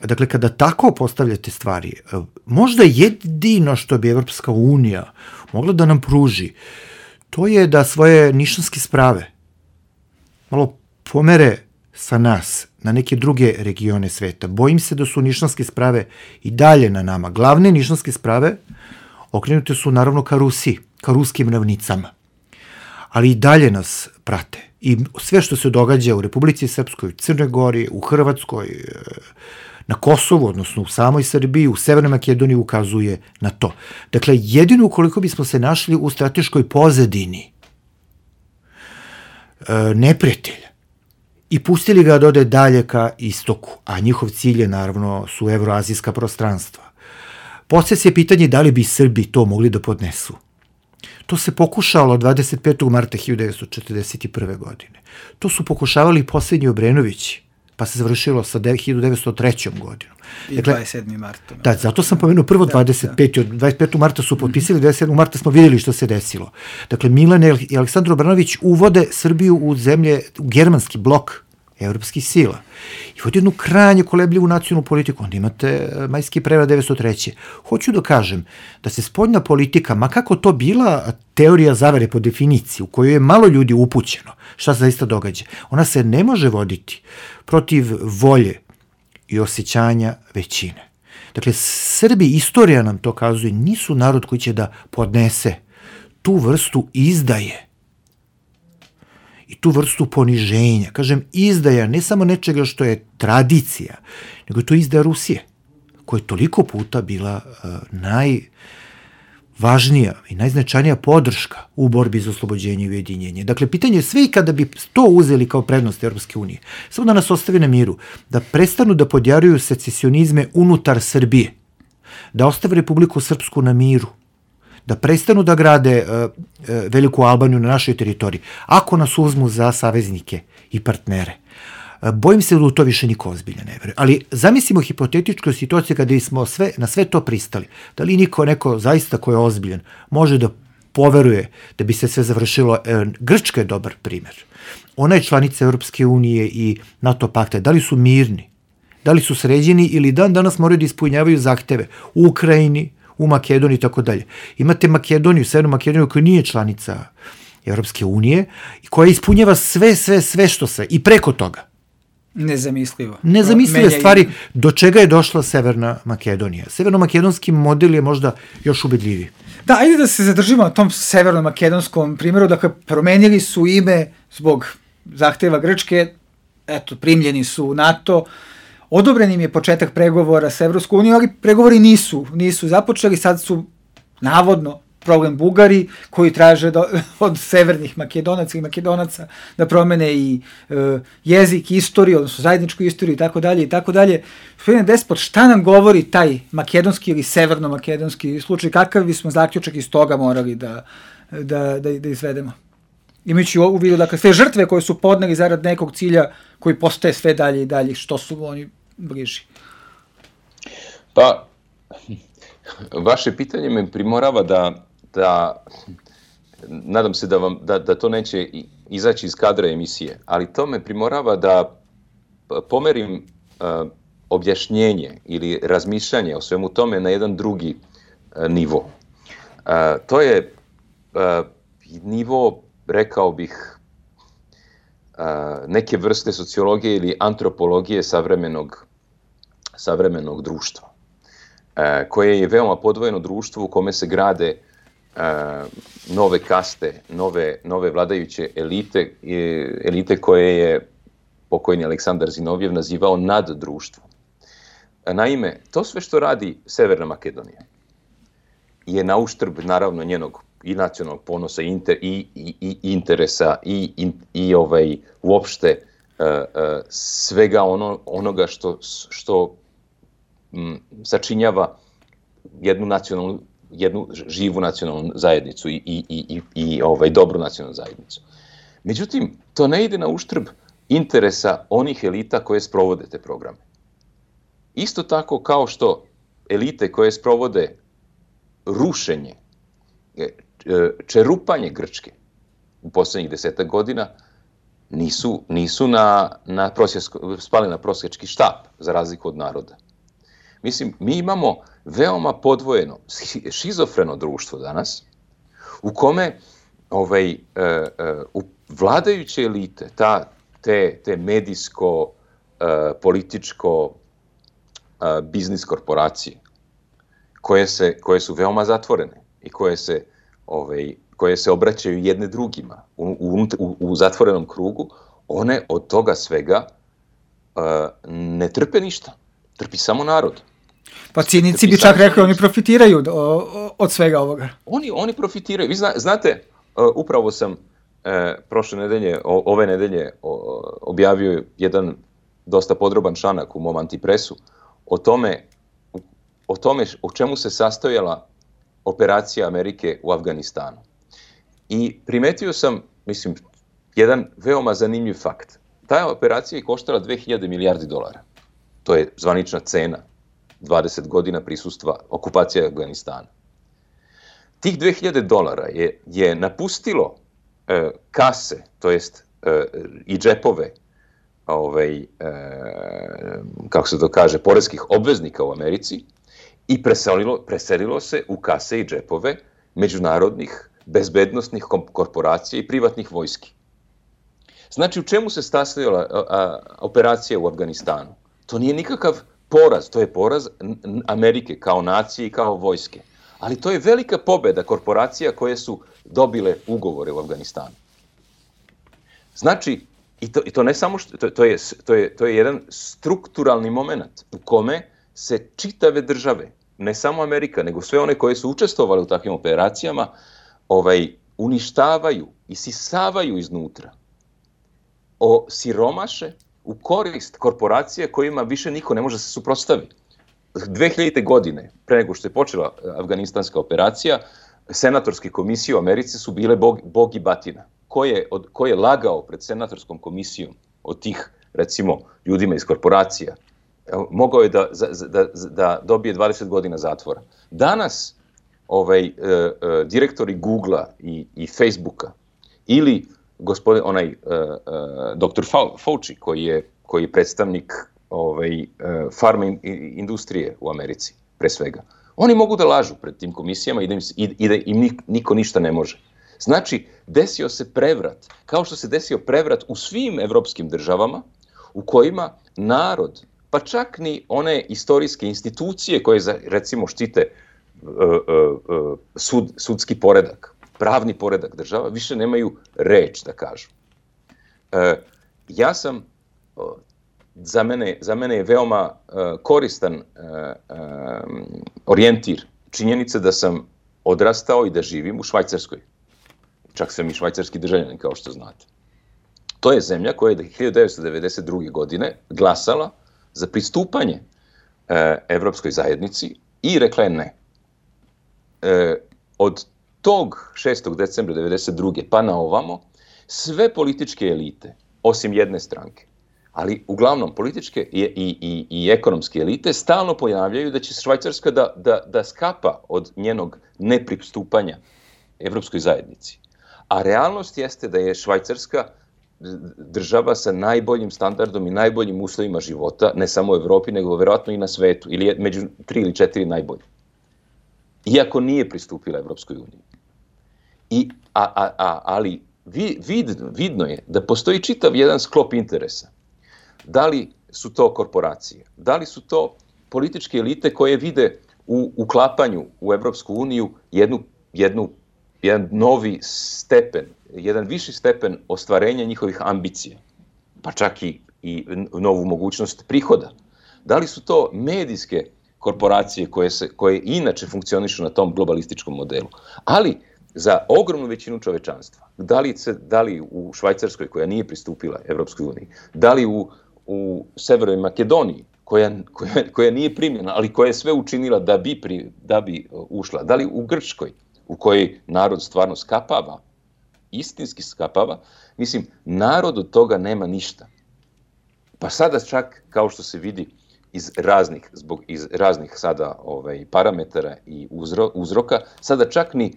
Dakle, kada tako postavljate stvari, možda jedino što bi Evropska unija mogla da nam pruži, to je da svoje nišanske sprave malo pomere sa nas na neke druge regione sveta. Bojim se da su nišanske sprave i dalje na nama. Glavne nišanske sprave okrenute su naravno ka Rusiji, ka ruskim ravnicama. Ali i dalje nas prate. I sve što se događa u Republici Srpskoj, u Crnoj Gori, u Hrvatskoj, na Kosovu, odnosno u samoj Srbiji, u Severnoj Makedoniji ukazuje na to. Dakle, jedino ukoliko bismo se našli u strateškoj pozadini neprijatelja i pustili ga da ode dalje ka istoku, a njihov cilj je naravno su evroazijska prostranstva. Poslije se pitanje da li bi Srbi to mogli da podnesu. To se pokušalo 25. marta 1941. godine. To su pokušavali posljednji Obrenovići, pa se završilo sa 1903. godinom. I 27. marta. Da, zato sam pomenuo prvo 25. Od 25. marta su potpisali, 27. marta smo vidjeli što se desilo. Dakle, Milan i Aleksandar Obrenović uvode Srbiju u zemlje, u germanski blok evropskih sila. I vodi jednu krajnje kolebljivu nacionalnu politiku. Onda imate majski prevrad 1903. Hoću da kažem da se spoljna politika, ma kako to bila teorija zavere po definiciji, u kojoj je malo ljudi upućeno, šta se zaista događa, ona se ne može voditi protiv volje i osjećanja većine. Dakle, Srbi, istorija nam to kazuje, nisu narod koji će da podnese tu vrstu izdaje i tu vrstu poniženja. Kažem, izdaja ne samo nečega što je tradicija, nego je to izdaja Rusije, koja je toliko puta bila najvažnija i najznačajnija podrška u borbi za oslobođenje i ujedinjenje. Dakle, pitanje je sve i kada bi to uzeli kao prednost Evropske unije, samo da nas ostavi na miru, da prestanu da podjaruju secesionizme unutar Srbije, da ostave Republiku Srpsku na miru, da prestanu da grade Veliku Albaniju na našoj teritoriji, ako nas uzmu za saveznike i partnere. Bojim se da u to više niko ozbiljno ne veruje. Ali zamislimo hipotetičku situaciju kada smo na sve to pristali. Da li neko zaista ko je ozbiljan može da poveruje da bi se sve završilo. Grčka je dobar primer. Ona je članica Europske unije i NATO pakta. Da li su mirni? Da li su sređeni ili dan danas moraju da ispunjavaju zahteve u Ukrajini, u Makedoniji i tako dalje. Imate Makedoniju, Severnu Makedoniju koja nije članica Europske unije i koja ispunjava sve što se i preko toga. Nezamislive stvari do čega je došla Severna Makedonija. Severno-makedonski model je možda još ubedljiviji. Da, ajde da se zadržimo na tom severno-makedonskom primjeru. Dakle, promenili su ime zbog zahteva Grčke, eto, primljeni su u NATO, odobren im je početak pregovora sa Evropskom unijom, ali pregovori nisu započeli, sad su navodno problem Bugari, koji traže od severnih Makedonaca i Makedonaca da promene i jezik, istoriju, odnosno zajedničku istoriju i tako dalje i tako dalje. Gospodine Despot, šta nam govori taj makedonski ili severno-makedonski slučaj? Kakav bismo zaključak iz toga morali da izvedemo? Imajući u vidu, dakle, sve žrtve koje su podneli zarad nekog cilja koji postaje sve dalje i dalje, što su oni bliži? Pa, vaše pitanje me primorava da nadam se da to neće izaći iz kadra emisije, ali to me primorava da pomerim objašnjenje ili razmišljanje o svemu tome na jedan drugi nivo. To je nivo, rekao bih, neke vrste sociologije ili antropologije savremenog društva, koje je veoma podvojeno društvo u kome se grade nove kaste, nove vladajuće elite koje je pokojni Aleksandar Zinovjev nazivao naddruštvom. Naime, to sve što radi Severna Makedonija je na uštrb, naravno, njenog i nacionalnog ponosa i interesa i uopšte svega onoga što sačinjava jednu živu nacionalnu zajednicu i dobru nacionalnu zajednicu. Međutim, to ne ide na uštrb interesa onih elita koje sprovode te programe. Isto tako kao što elite koje sprovode rušenje, čerupanje Grčke u poslednjih 10 godina nisu spali na prosjački štap, za razliku od naroda. Mislim, mi imamo veoma podvojeno, šizofreno društvo danas, u kome vladajuće elite, te medijsko, političko, biznis korporacije, koje su veoma zatvorene i koje se obraćaju jedne drugima u zatvorenom krugu, one od toga svega ne trpe ništa. Trpi samo narod. Pa cinici bi čak rekli, oni profitiraju od svega ovoga. Oni profitiraju. Vi znate, upravo sam ove nedelje objavio jedan dosta podroban članak u mom Antipresu o tome o čemu se sastojala operacija Amerike u Afganistanu. I primetio sam, mislim, jedan veoma zanimljiv fakt. Ta operacija je koštala 2000 milijardi dolara. To je zvanična cena 20 godina prisustva okupacije Afganistana. Tih 2000 dolara je napustilo kase, to jest i džepove, kako se to kaže, poreskih obveznika u Americi i preselilo se u kase i džepove međunarodnih bezbednosnih korporacija i privatnih vojski. Znači, u čemu se sastojala operacija u Afganistanu? To nije nikakav poraz, to je poraz Amerike kao nacije i kao vojske. Ali to je velika pobeda korporacija koje su dobile ugovore u Afganistanu. Znači, i to ne samo što, to je jedan strukturalni moment u kome se čitave države, ne samo Amerika, nego sve one koje su učestvovale u takvim operacijama, uništavaju, isisavaju iznutra, siromaše u korist korporacije kojima više niko ne može da se suprotstavi. 2000. godine, pre nego što je počela afganistanska operacija, senatorske komisije u Americi su bile bog i batina. Ko je lagao pred senatorskom komisijom od tih, recimo, ljudima iz korporacija, mogao je da dobije 20 godina zatvora. Danas direktori Googlea i Facebooka, ili gospodin, dr. Fauci, koji je predstavnik farma industrije u Americi, pre svega. Oni mogu da lažu pred tim komisijama i da im niko ništa ne može. Znači, desio se prevrat, kao što se desio prevrat u svim evropskim državama, u kojima narod, pa čak ni one istorijske institucije koje, recimo, štite sudski poredak, pravni poredak država, više nemaju reč da kažu. Za mene je veoma koristan orijentir činjenica da sam odrastao i da živim u Švajcarskoj. Čak sam i švajcarski državljanin, kao što znate. To je zemlja koja je 1992. godine glasala za pristupanje Evropskoj zajednici i rekla je ne. Od tog 6. decembra 1992. pa na ovamo, sve političke elite, osim jedne stranke, ali uglavnom političke i ekonomske elite, stalno pojavljaju da će Švajcarska da skapa od njenog nepristupanja Evropskoj zajednici. A realnost jeste da je Švajcarska država sa najboljim standardom i najboljim uslovima života, ne samo u Evropi, nego verovatno i na svetu, ili je među 3 ili 4 najbolji. Iako nije pristupila Evropskoj uniji. Ali vidno je da postoji čitav jedan sklop interesa. Da li su to korporacije, da li su to političke elite koje vide u uklapanju u Evropsku uniju jedan novi stepen, jedan viši stepen ostvarenja njihovih ambicija, pa čak i novu mogućnost prihoda. Da li su to medijske korporacije koje inače funkcionišu na tom globalističkom modelu, ali za ogromnu većinu čovečanstva, da li u Švajcarskoj, koja nije pristupila Evropskoj uniji, da li u Severnoj Makedoniji, koja nije primljena, ali koja je sve učinila da bi ušla, da li u Grčkoj, u kojoj narod stvarno skapava, istinski skapava, mislim, narod od toga nema ništa. Pa sada čak, kao što se vidi iz raznih sada parametara i uzroka, sada čak ni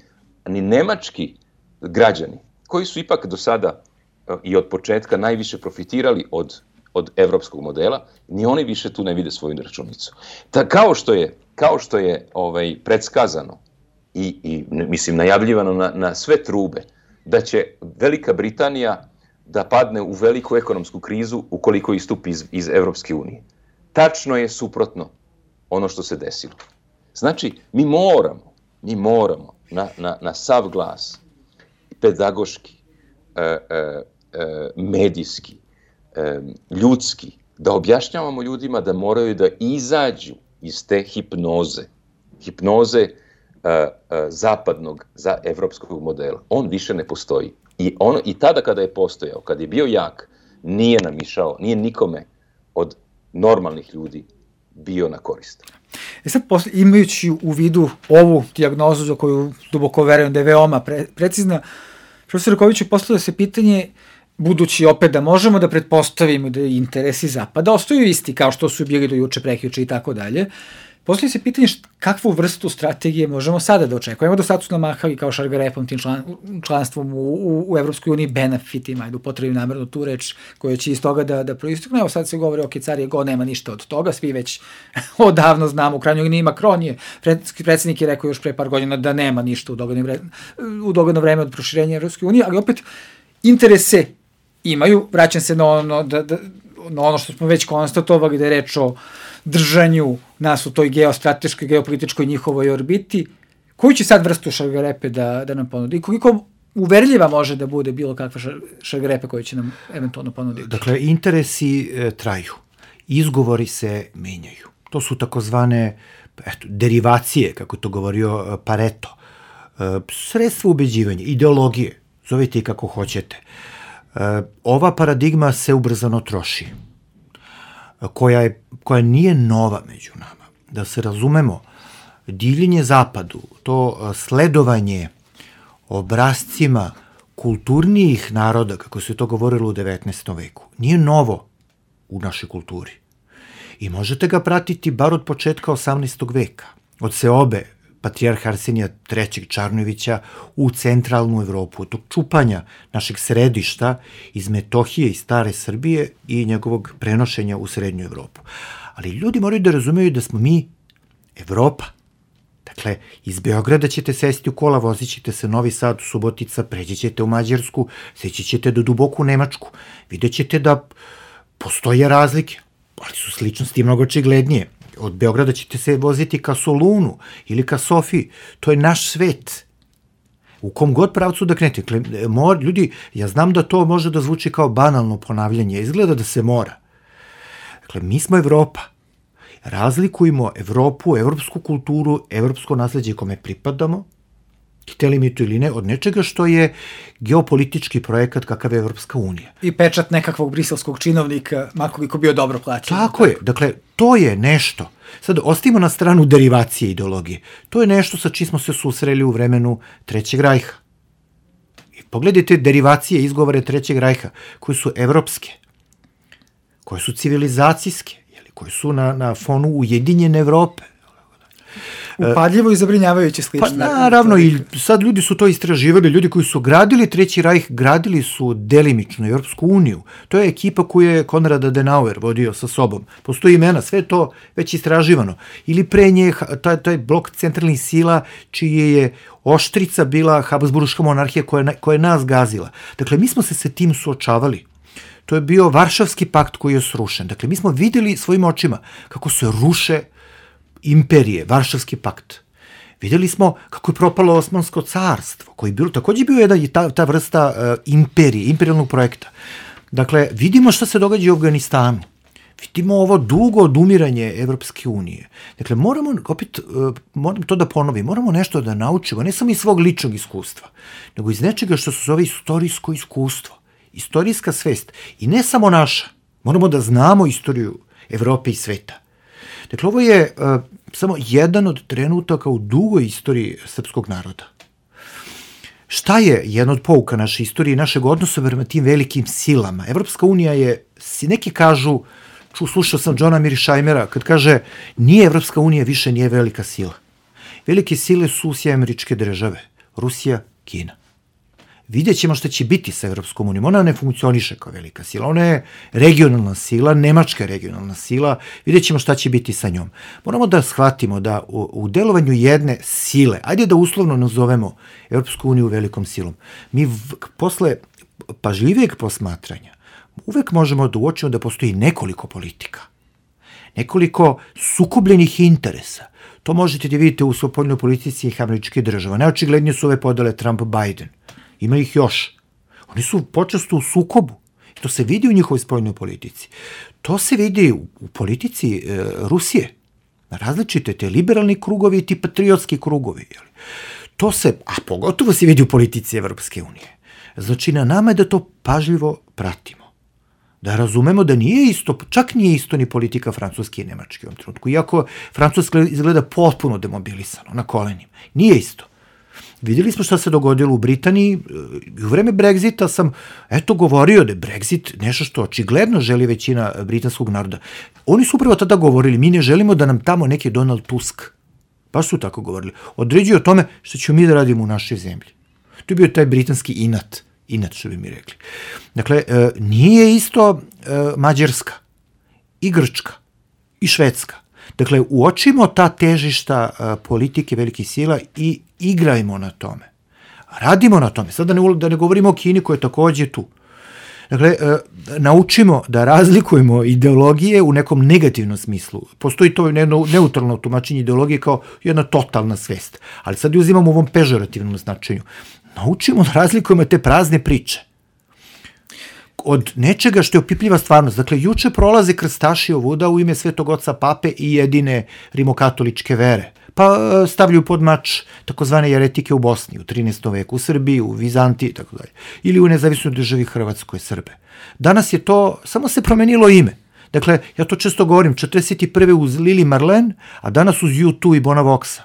nemački građani, koji su ipak do sada i od početka najviše profitirali od evropskog modela, ni oni više tu ne vide svoju računicu. Kao što je predskazano i mislim najavljivano na sve trube, da će Velika Britanija da padne u veliku ekonomsku krizu ukoliko istupi iz Evropske unije. Tačno je suprotno ono što se desilo. Znači, mi moramo na sav glas, pedagoški, medijski, ljudski, da objašnjavamo ljudima da moraju da izađu iz te hipnoze zapadnog za evropskog modela. On više ne postoji. I tada kada je postojao, kada je bio jak, nije namišao, nije nikome od normalnih ljudi bio na korist. Sad, imajući u vidu ovu dijagnozu za koju duboko verujem da je veoma precizna, profesor Rakoviću, postavlja se pitanje, budući opet da možemo da pretpostavimo da interesi Zapada ostaju isti kao što su bili do juče, prekjuče i tako dalje, postavlja se pitanje kakvu vrstu strategije možemo sada da očekujemo. Do sad su namahali kao šargarepom tim članstvom u Evropskoj uniji, benefitima, ajde upotrebim namerno tu reč koja će iz toga da proistekne. Evo sad se govori, ok, car je go, nema ništa od toga, svi već odavno znamo, u krajnjoj liniji Macron je, predsjednik je rekao još pre par godina da nema ništa u dogledno vreme od proširenja Evropske unije, ali opet interese imaju. Vraćam se na ono što smo već konstatovali, da je reč o držanju nas u toj geostrateškoj, geopolitičkoj njihovoj orbiti. Koju će sad vrstu šargarepe da nam ponudi? I koliko uverljiva može da bude bilo kakva šargarepe koju će nam eventualno ponuditi? Dakle, interesi traju. Izgovori se menjaju. To su takozvane derivacije, kako je to govorio Pareto. Sredstva ubeđivanja, ideologije, zovite i kako hoćete. Ova paradigma se ubrzano troši, koja nije nova među nama. Da se razumemo, divljenje zapadu, to sledovanje obrascima kulturnijih naroda, kako se to govorilo u 19. veku, nije novo u našoj kulturi. I možete ga pratiti bar od početka 18. veka, od seobe patrijarha Arsenija III. Čarnojevića u centralnu Evropu, od tog čupanja našeg središta iz Metohije i stare Srbije i njegovog prenošenja u srednju Evropu. Ali ljudi moraju da razumeju da smo mi Evropa. Dakle, iz Beograda ćete sesti u kola, vozit ćete se Novi Sad, Subotica, pređi ćete u Mađarsku, seći ćete do duboko u Nemačku. Vidjet ćete da postoje razlike, ali su sličnosti mnogo očiglednije. Od Beograda ćete se voziti ka Solunu ili ka Sofiji. To je naš svet. U kom god pravcu da krenete. Ljudi, ja znam da to može da zvuči kao banalno ponavljanje. Izgleda da se mora. Dakle, mi smo Evropa. Razlikujemo Evropu, evropsku kulturu, evropsko nasleđe kome pripadamo, hteli mi to ili ne, od nečega što je geopolitički projekat kakav je Evropska unija. I pečat nekakvog briselskog činovnika, makoliko bio dobro plaćen. Tako je, dakle, to je nešto. Sad, ostavimo na stranu derivacije ideologije. To je nešto sa čim smo se susreli u vremenu Trećeg rajha. I pogledajte derivacije, izgovore Trećeg rajha, koje su evropske, koje su civilizacijske, koji su na fonu ujedinjene Evrope. Upadljivo i zabrinjavajuće slično. Pa naravno, i sad ljudi su to istraživali, ljudi koji su gradili Treći rajh, gradili su delimično Evropsku uniju. To je ekipa koju je Konrad Adenauer vodio sa sobom. Postoji imena, sve to već istraživano. Ili pre nje taj blok centralnih sila, čije je oštrica bila Habsburška monarhija koja je nas gazila. Dakle, mi smo se sa tim suočavali. To je bio Varšavski pakt koji je srušen. Dakle, mi smo videli svojim očima kako se ruše imperije, Varšavski pakt. Videli smo kako je propalo Osmansko carstvo, koji je takođe bio ta vrsta imperije, imperijalnog projekta. Dakle, vidimo šta se događa u Afganistanu. Vidimo ovo dugo odumiranje Evropske unije. Dakle, moram to da ponovim, moramo nešto da naučimo, ne samo iz svog ličnog iskustva, nego iz nečega što se zove istorijsko iskustvo. Istorijska svest. I ne samo naša. Moramo da znamo istoriju Evrope i sveta. Dakle, ovo je samo jedan od trenutaka u dugoj istoriji srpskog naroda. Šta je jedna od pouka naše istorije i našeg odnosa prema tim velikim silama? Evropska unija je, neki kažu, slušao sam Johna Mearsheimera, kad kaže, nije Evropska unija više nije velika sila. Velike sile su SAD, Rusija, Kina. Vidjet ćemo šta će biti sa Evropskom unijom. Ona ne funkcioniše kao velika sila. Ona je regionalna sila, nemačka regionalna sila. Vidjet ćemo šta će biti sa njom. Moramo da shvatimo da u delovanju jedne sile, ajde da uslovno nazovemo Evropsku uniju velikom silom, mi posle pažljivijeg posmatranja uvek možemo da uočimo da postoji nekoliko politika, nekoliko sukobljenih interesa. To možete da vidite u spoljnoj politici američkih država. Najočiglednije su ove podele Trump-Biden. Ima ih još. Oni su počesto u sukobu. To se vidi u njihovoj spoljnoj politici. To se vidi u politici Rusije. Različite te liberalni krugovi i ti patriotski krugovi. To se, a pogotovo se vidi u politici Evropske unije. Znači, na nama je da to pažljivo pratimo. Da razumemo da nije isto, čak nije isto ni politika Francuske i Nemačke u ovom trenutku. Iako Francuska izgleda potpuno demobilisano, na kolenima. Nije isto. Vidjeli smo šta se dogodilo u Britaniji. U vreme Brexita sam govorio da je Brexit nešto što očigledno želi većina britanskog naroda. Oni su upravo tada govorili, mi ne želimo da nam tamo neki Donald Tusk, baš su tako govorili, određuje o tome što ćemo mi da radimo u našoj zemlji. To je bio taj britanski inat što bi mi rekli. Dakle, nije isto Mađarska i Grčka i Švedska. Dakle, uočimo ta težišta politike velikih sila i igrajmo na tome. Radimo na tome. Sad da ne govorimo o Kini koja je takođe tu. Dakle, naučimo da razlikujemo ideologije u nekom negativnom smislu. Postoji to neutralno tumačenje ideologije kao jedna totalna svest. Ali sad je uzimamo u ovom pežorativnom značenju. Naučimo da razlikujemo te prazne priče od nečega što je opipljiva stvarnost. Dakle, juče prolaze krstaši ovuda u ime Svetog Oca Pape i jedine rimokatoličke vere. Pa stavljaju pod mač takozvane jeretike u Bosni, u 13. veku, u Srbiji, u Vizantiji, tako dalje. Ili u nezavisnoj državi Hrvatskoj, Srbe. Danas je to, samo se promenilo ime. Dakle, ja to često govorim, 41. uz Lili Marlen, a danas uz U2 i Bona Voxa.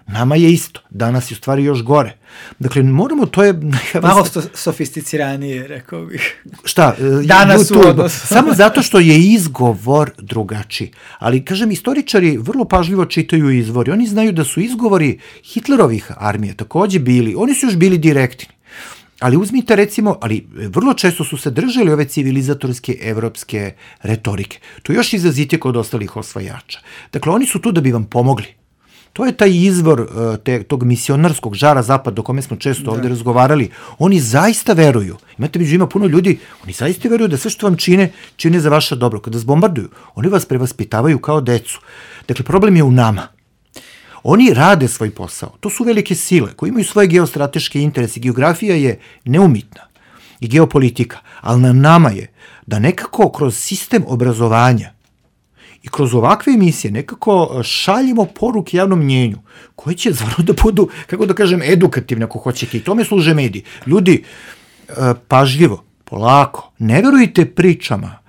Nama je isto, danas je u stvari još gore. Dakle, moramo, to je... Malo sofisticiranije, rekao bih. Šta? Danas u odnosu. Samo zato što je izgovor drugačiji. Ali, kažem, istoričari vrlo pažljivo čitaju izvori. Oni znaju da su izgovori Hitlerovih armija takođe bili, oni su još bili direktni. Ali uzmite recimo, ali vrlo često su se držali ove civilizatorske evropske retorike. To je još izrazitije kod ostalih osvajača. Dakle, oni su tu da bi vam pomogli. To je taj izvor tog misionarskog žara zapada o kome smo često ovde razgovarali. Oni zaista veruju. Imate među ima puno ljudi, oni zaista veruju da sve što vam čine za vaše dobro. Kada vas bombarduju, oni vas prevaspitavaju kao decu. Dakle, problem je u nama. Oni rade svoj posao. To su velike sile koje imaju svoje geostrateške interese. Geografija je neumitna i geopolitika, ali na nama je da nekako kroz sistem obrazovanja i kroz ovakve emisije nekako šaljimo poruke javnom mnjenju koje će stvarno da budu, kako da kažem, edukativne ako hoćete. I tome služe mediji. Ljudi, pažljivo, polako, ne verujte pričama,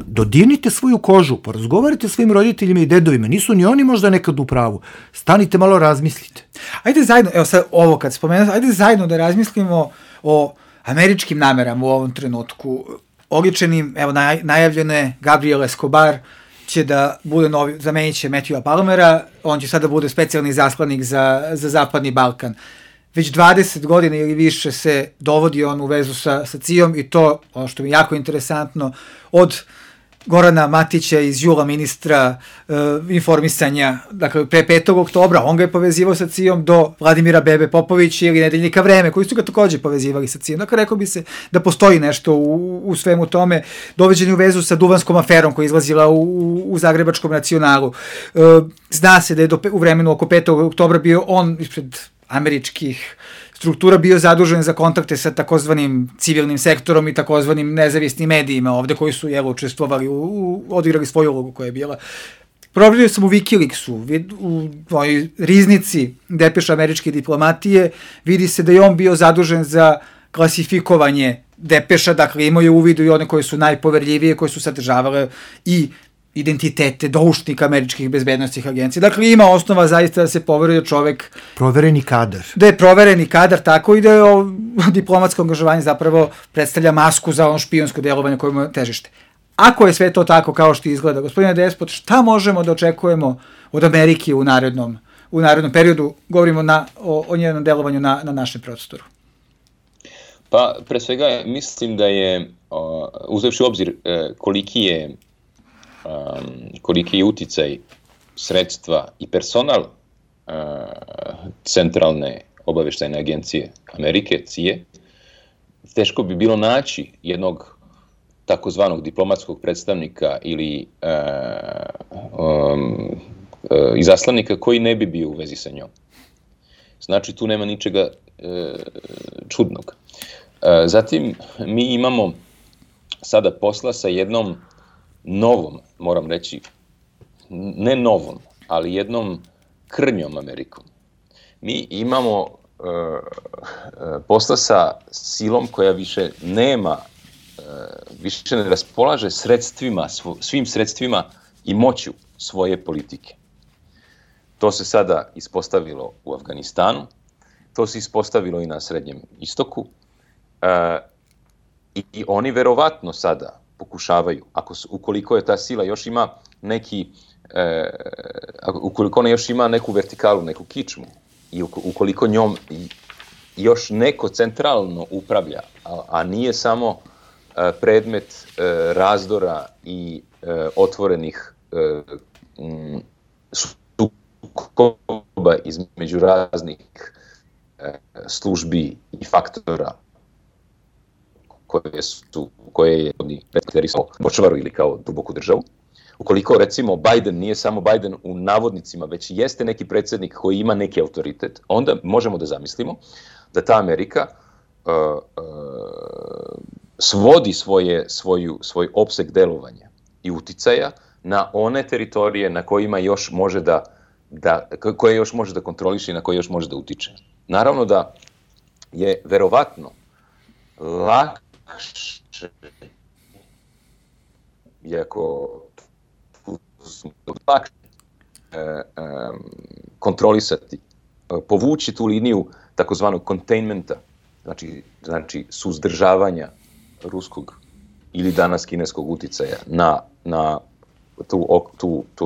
dodirnite svoju kožu, porazgovarajte svojim roditeljima i dedovima, nisu ni oni možda nekad u pravu. Stanite malo, razmislite. Ajde zajedno, evo sad ovo kad spomenuo, ajde zajedno da razmislimo o američkim namerama u ovom trenutku. Oličenim, evo najavljene Gabriel Escobar će da bude novi, zamenit će Matthewa Palmera, on će sada bude specijalni zaslanik za Zapadni Balkan. Već 20 godina ili više se dovodi on u vezu sa CIA-om i to, ono što mi je jako interesantno, od Gorana Matića iz jula ministra informisanja, dakle pre 5. oktobra, on ga je povezivao sa CIA-om, do Vladimira Bebe Popovića ili Nedeljnika Vreme, koji su ga takođe povezivali sa CIA-om. Dakle, rekao bi se da postoji nešto u svemu tome, doveđen u vezu sa Duvanskom aferom koja je izlazila u Zagrebačkom nacionalu. Zna se da je u vremenu oko 5. oktobra bio on ispred američkih struktura bio zadužen za kontakte sa takozvanim civilnim sektorom i takozvanim nezavisnim medijima ovde koji su učestvovali, odigrali svoju ulogu koja je bila. Proverio sam u Wikileaksu, u tvojoj riznici depeša američke diplomatije, vidi se da je on bio zadužen za klasifikovanje depeša, dakle imao je uvidu i one koje su najpoverljivije, koje su sadržavale i identitete doušnika američkih bezbednostnih agencija. Dakle, ima osnova zaista da se poveruje čovek... Provereni kadar. Da je provereni kadar, tako i da je diplomatsko angažovanje zapravo predstavlja masku za ono špijunsko delovanje koje mu težište. Ako je sve to tako kao što izgleda, gospodine Despot, šta možemo da očekujemo od Amerike u narednom periodu? Govorimo o njenom delovanju na našem prostoru. Pa, pre svega, mislim da je, uzevši u obzir koliki je uticaj sredstva i personal Centralne obaveštajne agencije Amerike, CIA, teško bi bilo naći jednog takozvanog diplomatskog predstavnika ili izaslanika koji ne bi bio u vezi sa njom. Znači, tu nema ničega čudnog. Zatim, mi imamo sada posla sa jednom novom, moram reći, ne novom, ali jednom krnjom Amerikom. Mi imamo posla sa silom koja više nema, više ne raspolaže sredstvima, svim sredstvima i moću svoje politike. To se sada ispostavilo u Afganistanu, to se ispostavilo i na Srednjem istoku i oni verovatno sada pokušavaju, ukoliko je ta sila još ima ukoliko ona još ima neku vertikalu, neku kičmu i ukoliko njom još neko centralno upravlja, a nije samo predmet razdora i otvorenih sukoba između raznih službi i faktora koje je predstavljeno Bočvaru ili kao duboku državu. Ukoliko, recimo, Biden nije samo Biden u navodnicima, već jeste neki predsjednik koji ima neki autoritet, onda možemo da zamislimo da ta Amerika svodi svoj opseg delovanja i uticaja na one teritorije na kojima još može koje još može da kontroliše i na koje još može da utiče. Naravno da je verovatno lakše, iako lakše, kontrolisati, povući tu liniju takozvanog containmenta, znači suzdržavanja ruskog ili danas kineskog uticaja na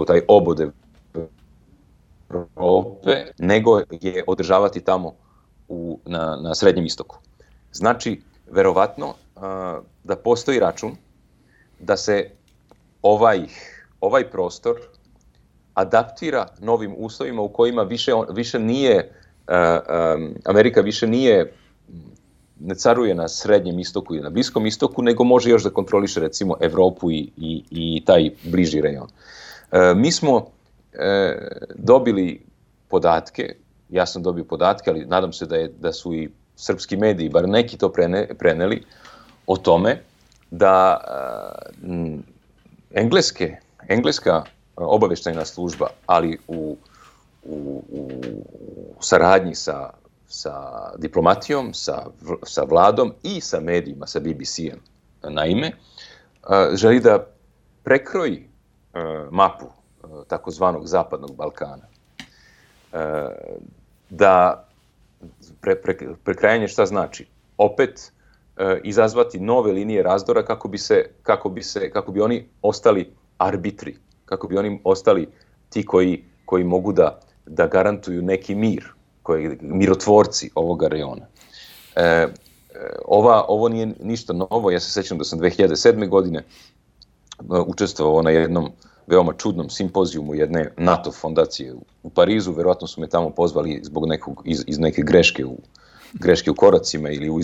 taj obod Evrope, nego je održavati tamo na Srednjem istoku. Znači, verovatno da postoji račun da se ovaj prostor adaptira novim uslovima u kojima više nije, Amerika više ne caruje na Srednjem istoku i na Bliskom istoku, nego može još da kontroliše recimo Evropu i taj bliži rejon. Mi smo dobili podatke, ja sam dobio podatke, ali nadam se da su i srpski mediji, bar neki to preneli, o tome da engleska obaveštajna služba, ali u saradnji sa diplomatijom, sa vladom i sa medijima, sa BBC-em, naime, želi da prekroji mapu takozvanog Zapadnog Balkana. Da prekrajanje šta znači? Opet izazvati nove linije razdora kako bi oni ostali arbitri, kako bi oni ostali ti koji mogu da garantuju neki mir, mirotvorci ovoga rejona. Ovo nije ništa novo, ja se sećam da sam 2007. godine učestvovao na jednom veoma čudnom simpozijumu jedne NATO fondacije u Parizu, verovatno su me tamo pozvali zbog iz neke greške u koracima ili u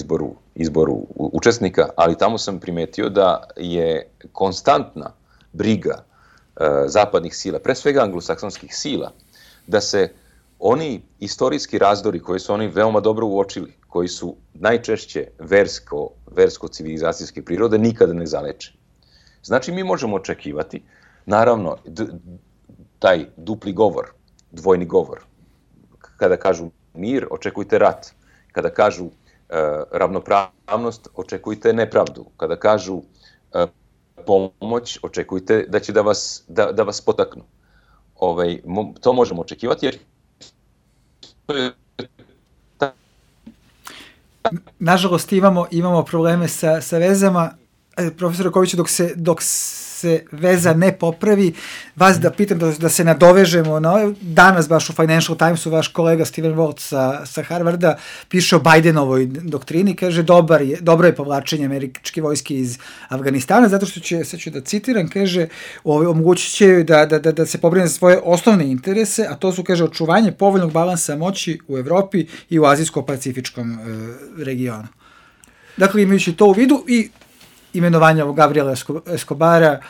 izboru učesnika, ali tamo sam primetio da je konstantna briga zapadnih sila, pre svega anglosaksonskih sila, da se oni istorijski razdori koji su oni veoma dobro uočili, koji su najčešće versko-civilizacijske prirode, nikada ne zaleče. Znači, mi možemo očekivati, naravno, taj dupli govor, dvojni govor. Kada kažu mir, očekujte rat. Kada kažu ravnopravnost, očekujte nepravdu. Kada kažu pomoć, očekujte da će da vas potaknu. To možemo očekivati, jer nažalost imamo probleme sa vezama. Profesor Rakoviću, dok se veza ne popravi, vas da pitam da se nadovežemo na danas baš u Financial Timesu vaš kolega Steven Walt sa Harvarda piše o Bidenovoj doktrini, kaže dobro je povlačenje američke vojske iz Afganistana, zato što sad ću da citiram, kaže omogućit će da se pobrine za svoje osnovne interese, a to su, kaže, očuvanje povoljnog balansa moći u Evropi i u azijsko-pacifičkom regionu. Dakle, imajući to u vidu i imenovanje ovog Gabriela Escobara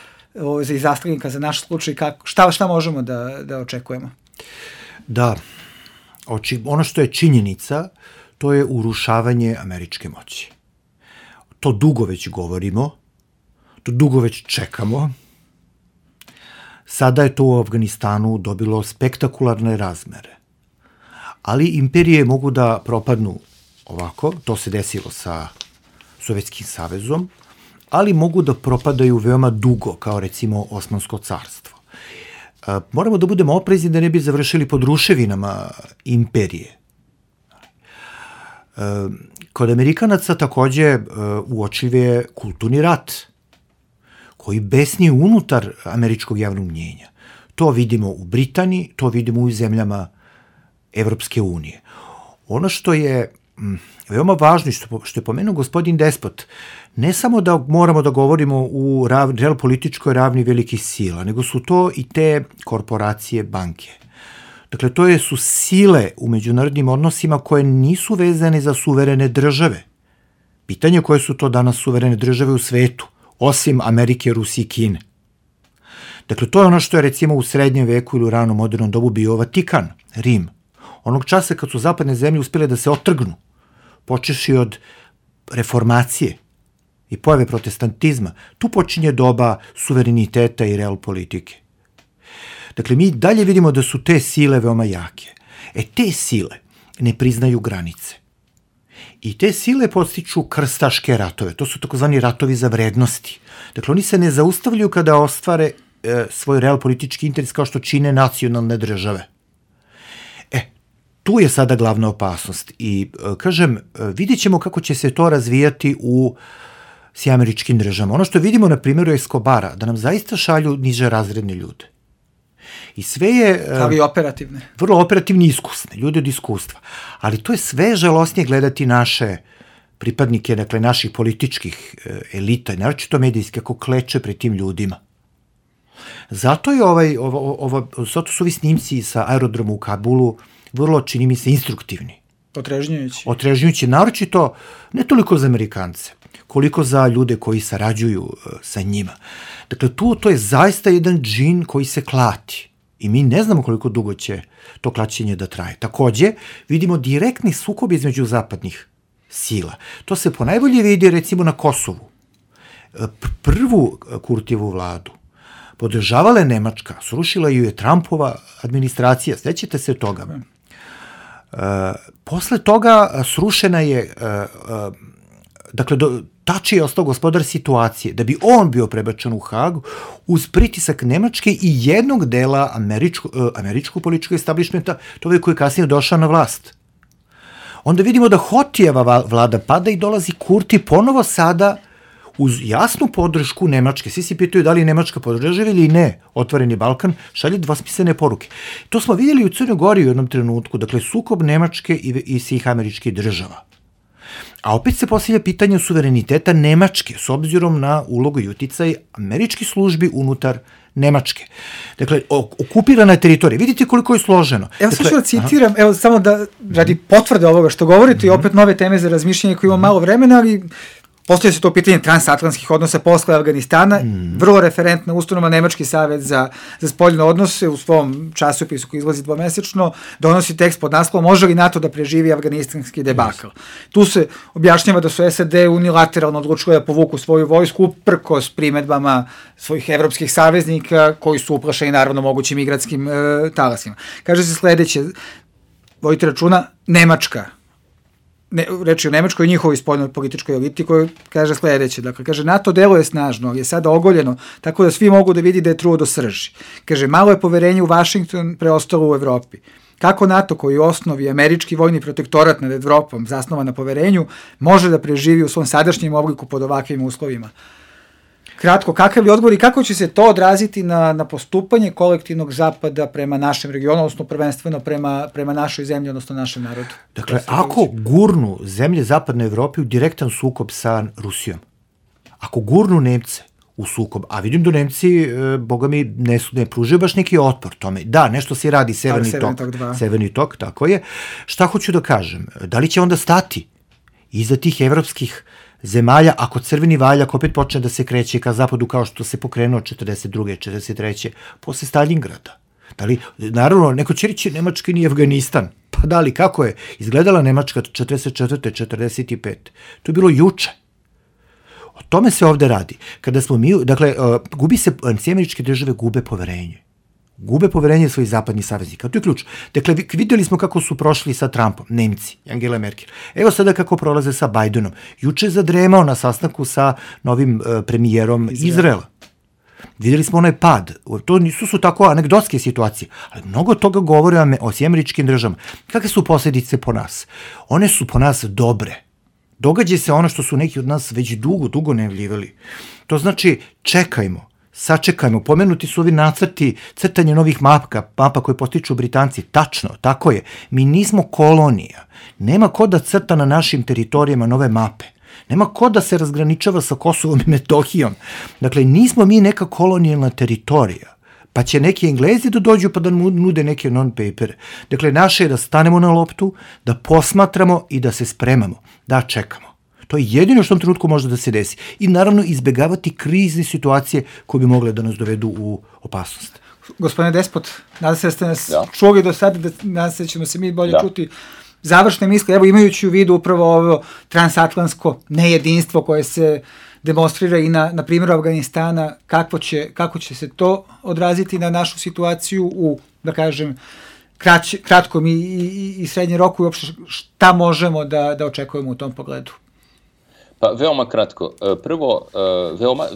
za izastavljenika za naš slučaj, šta možemo da očekujemo? Da, ono što je činjenica, to je urušavanje američke moći. To dugo već govorimo, to dugo već čekamo. Sada je to u Afganistanu dobilo spektakularne razmere. Ali imperije mogu da propadnu ovako, to se desilo sa Sovjetskim savezom, ali mogu da propadaju veoma dugo, kao recimo Osmansko carstvo. Moramo da budemo oprezni da ne bi završili pod ruševinama imperije. Kod Amerikanaca takođe uočljiv je kulturni rat, koji besni unutar američkog javnog mnjenja. To vidimo u Britaniji, to vidimo u zemljama Evropske unije. Ono što je veoma važno, što je pomenuo gospodin Despot, ne samo da moramo da govorimo u realpolitičkoj ravni velikih sila, nego su to i te korporacije, banke. Dakle, to su sile u međunarodnim odnosima koje nisu vezane za suverene države. Pitanje koje su to danas suverene države u svetu, osim Amerike, Rusije i Kine. Dakle, to je ono što je recimo u srednjem veku ili u ranom modernom dobu bio Vatikan, Rim. Onog časa kad su zapadne zemlje uspjele da se otrgnu, počeši od reformacije i pojave protestantizma, tu počinje doba suvereniteta i realpolitike. Dakle, mi dalje vidimo da su te sile veoma jake. Te sile ne priznaju granice. I te sile podstiču krstaške ratove. To su takozvani ratovi za vrednosti. Dakle, oni se ne zaustavljaju kada ostvare svoj real politički interes kao što čine nacionalne države. Tu je sada glavna opasnost i, kažem, vidjet ćemo kako će se to razvijati u Sjedinjenim Državama. Ono što vidimo na primjeru Escobara, da nam zaista šalju niže razredne ljude. I sve je... Ali operativne. Vrlo operativni i iskusne, ljude od iskustva. Ali to je sve žalosnije gledati naše pripadnike, dakle, naših političkih elita, naročito medijski, kako kleče pred tim ljudima. Zato je zato su ovi snimci sa aerodroma u Kabulu vrlo, čini mi se, instruktivni. Otrežnjujući, naročito ne toliko za Amerikance, koliko za ljude koji sarađuju sa njima. Dakle, to je zaista jedan džin koji se klati i mi ne znamo koliko dugo će to klaćenje da traje. Takođe, vidimo direktni sukob između zapadnih sila. To se ponajbolje vidi, recimo, na Kosovu. Prvu Kurtijevu vladu podržavala je Nemačka, srušila ju je Trumpova administracija, sećate se toga. Posle toga srušena je, dakle, Tači je ostao gospodar situacije, da bi on bio prebačen u Hagu uz pritisak Nemačke i jednog dela američkog političkog establishmenta, to je koji je kasnije došao na vlast. Onda vidimo da Hotijeva vlada pada i dolazi Kurti ponovo sada uz jasnu podršku Nemačke. Svi se pitaju da li Nemačka podržava ili ne Otvoreni Balkan, šalje dvosmislene poruke. To smo vidjeli u Crnoj Gori u jednom trenutku, dakle, sukob Nemačke i svih američkih država. A opet se postavlja pitanje suvereniteta Nemačke, s obzirom na ulogu i uticaj američkih službi unutar Nemačke. Dakle, okupirana teritorija. Vidite koliko je složeno. Evo, sad ću da citiram, evo, samo da radi potvrde ovoga što govorite i opet nove teme za razmišljanje koje ima malo vremena, ali postoje se to pitanje transatlantskih odnosa posle Afganistana, vrlo referentna ustanova Nemački savet za spoljne odnose u svom časopisu koji izlazi dvomesečno, donosi tekst pod naslovom može li NATO da preživi afganistanski debakl. Tu se objašnjava da su SAD unilateralno odlučili da povuku svoju vojsku uprkos primedbama svojih evropskih saveznika koji su uplašeni naravno mogućim migratskim talasima. Kaže se sledeće, vodite računa, Nemačka, reči o Nemačkoj i njihovoj spoljnoj političkoj eliti koja kaže sledeće. Dakle, kaže, NATO deluje snažno, ali je sada ogoljeno, tako da svi mogu da vidi da je truo do srži. Kaže, malo je poverenje u Vašington preostalo u Evropi. Kako NATO, koji u osnovi američki vojni protektorat nad Evropom zasnovan na poverenju, može da preživi u svom sadašnjem obliku pod ovakvim uslovima? Kratko, kakav je odgovor i kako će se to odraziti na postupanje kolektivnog zapada prema našem regionu, odnosno prvenstveno prema našoj zemlji, odnosno našem narodu? Dakle, ako gurnu zemlje zapadne Evrope u direktan sukob sa Rusijom, ako gurnu Nemce u sukob, a vidim da Nemci, boga mi, ne pružaju baš neki otpor tome. Da, nešto se radi, Severni tok, tako je. Šta hoću da kažem? Da li će onda stati iza tih evropskih zemalja, ako crveni valjak opet počne da se kreće ka zapadu kao što se pokrenuo 42. 43. posle Stalingrada? Da li, naravno, neko će reći Nemačka nije Afganistan. Pa da li, kako je izgledala Nemačka 44. 45. To je bilo juče. O tome se ovde radi. Kada smo mi, dakle, Američke države gube poverenje. Gube poverenje svojih zapadnih saveznika. To je ključ. Dakle, videli smo kako su prošli sa Trumpom, Nemci, Angela Merkel. Evo sada kako prolaze sa Bidenom. Juče je zadremao na sastanku sa novim premijerom Izraela. Videli smo onaj pad. To su tako anegdotske situacije, ali mnogo toga govore o Američkim državama. Kakve su posljedice po nas? One su po nas dobre. Događa se ono što su neki od nas već dugo najavljivali. To znači, čekajmo, sačekajmo, pomenuti su ovi nacrti, crtanje novih mapa koje postiču Britanci. Tačno, tako je. Mi nismo kolonija. Nema ko da crta na našim teritorijama nove mape. Nema ko da se razgraničava sa Kosovom i Metohijom. Dakle, nismo mi neka kolonijalna teritorija. Pa će neki Englezi da dođu pa da nude neke non-papere. Dakle, naše je da stanemo na loptu, da posmatramo i da se spremamo, da čekamo. To je jedino što u tom trenutku može da se desi. I naravno izbegavati krizne situacije koje bi mogle da nas dovedu u opasnost. Gospodine Despot, nadam se da ste nas čuli do sada, nadam se da ćemo se mi bolje čuti. Završne misle, evo imajući u vidu upravo ovo transatlantsko nejedinstvo koje se demonstrira i na primjeru Afganistana, kako će se to odraziti na našu situaciju u, da kažem, kratkom i srednjem roku i uopšte šta možemo da očekujemo u tom pogledu? Pa veoma kratko. Prvo,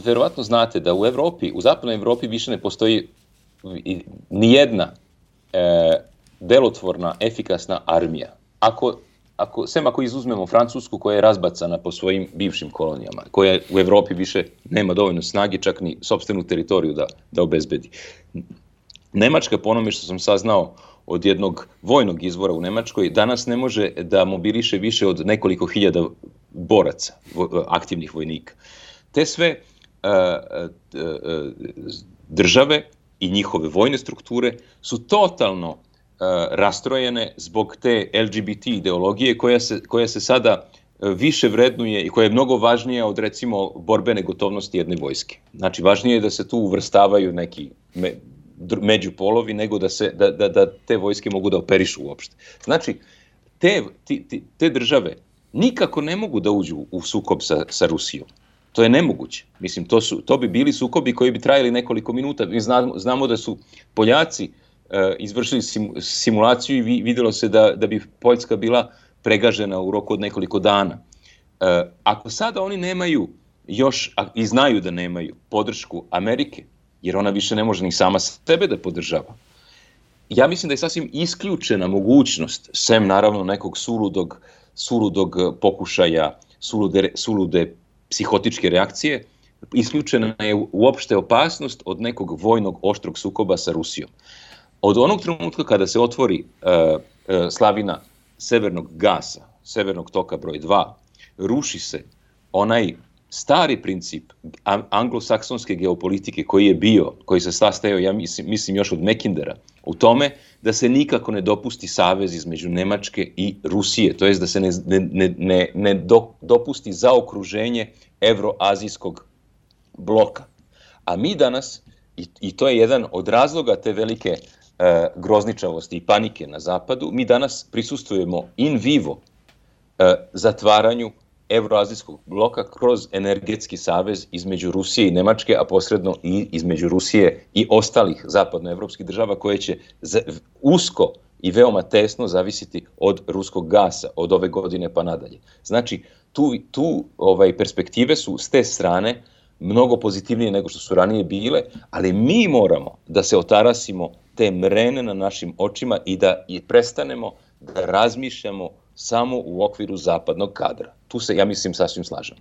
verovatno znate da u Evropi, u zapadnoj Evropi više ne postoji nijedna delotvorna, efikasna armija. Ako izuzmemo Francusku koja je razbacana po svojim bivšim kolonijama, koja u Evropi više nema dovoljno snage, čak ni sopstvenu teritoriju da obezbedi. Nemačka, po onome što sam saznao od jednog vojnog izvora u Nemačkoj, danas ne može da mobiliše više od nekoliko hiljada boraca, aktivnih vojnika. Te sve države i njihove vojne strukture su totalno rastrojene zbog te LGBT ideologije koja se sada više vrednuje i koja je mnogo važnija od, recimo, borbene gotovnosti jedne vojske. Znači, važnije je da se tu uvrstavaju neki međupolovi nego da te vojske mogu da operišu uopšte. Znači, te države nikako ne mogu da uđu u sukob sa Rusijom. To je nemoguće. Mislim, to bi bili sukobi koji bi trajali nekoliko minuta. Mi znamo da su Poljaci izvršili simulaciju i vidjelo se da bi Poljska bila pregažena u roku od nekoliko dana. Ako sada oni nemaju još, i znaju da nemaju podršku Amerike, jer ona više ne može ni sama sebe da podržava, ja mislim da je sasvim isključena mogućnost, sem naravno nekog suludog pokušaja, sulude psihotičke reakcije, isključena je uopšte opasnost od nekog vojnog oštrog sukoba sa Rusijom. Od onog trenutka kada se otvori slavina severnog gasa, severnog toka broj 2, ruši se onaj stari princip anglosaksonske geopolitike koji se sastajao, ja mislim još od Mackindera, u tome da se nikako ne dopusti savez između Nemačke i Rusije, to jest da se ne dopusti zaokruženje evroazijskog bloka. A mi danas, i to je jedan od razloga te velike grozničavosti i panike na zapadu, mi danas prisustvujemo in vivo zatvaranju evroazijskog bloka kroz energetski savez između Rusije i Nemačke, a posredno i između Rusije i ostalih zapadnoevropskih država koje će usko i veoma tesno zavisiti od ruskog gasa od ove godine pa nadalje. Znači, tu perspektive su s te strane mnogo pozitivnije nego što su ranije bile, ali mi moramo da se otarasimo te mrene na našim očima i da prestanemo da razmišljamo samo u okviru zapadnog kadra. Tu se, ja mislim, sasvim slažem.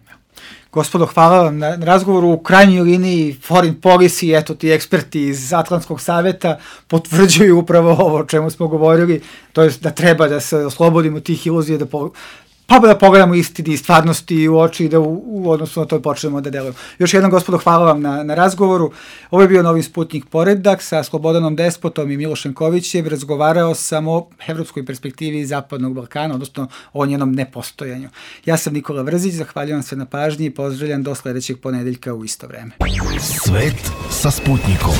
Gospodo, hvala vam na razgovoru. U krajnjoj liniji foreign policy, eto ti eksperti iz Atlantskog saveta potvrđuju upravo ovo o čemu smo govorili, to je da treba da se oslobodimo tih iluzija, da pogledamo istini i stvarnosti u oči i da u odnosu na to počnemo da delujemo. Još jednom, gospodo, hvala vam na razgovoru. Ovo je bio Novi Sputnik Poredak sa Slobodanom Despotom i Milošem Kovićem. Razgovarao sam o evropskoj perspektivi Zapadnog Balkana, odnosno o njenom nepostojanju. Ja sam Nikola Vrzić, zahvaljujem se na pažnji i pozdravljam do sledećeg ponedeljka u isto vreme. Svet sa Sputnikom.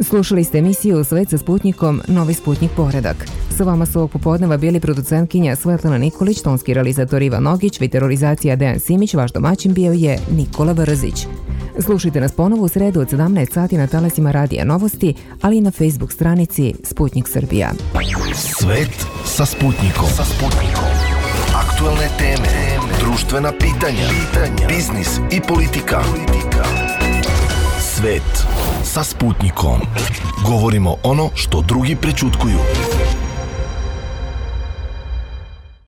Slušali ste emisiju Svet sa Sputnikom, Novi Sputnik Poredak. Sa vama su ovog popodneva bili producentkinja Svetlana Nikolić, tonski realizator Ivan Nogić, viterizacija Dejan Simić, vaš domaćin bio je Nikola Vrzić. Slušajte nas ponovo u sredu od 17 sati na talasima Radija Novosti, ali i na Facebook stranici Sputnik Srbija. Svet sa Sputnikom. Aktualne teme, društvena pitanja, biznis i politika. Svet sa Sputnikom. Govorimo ono što drugi prećutkuju.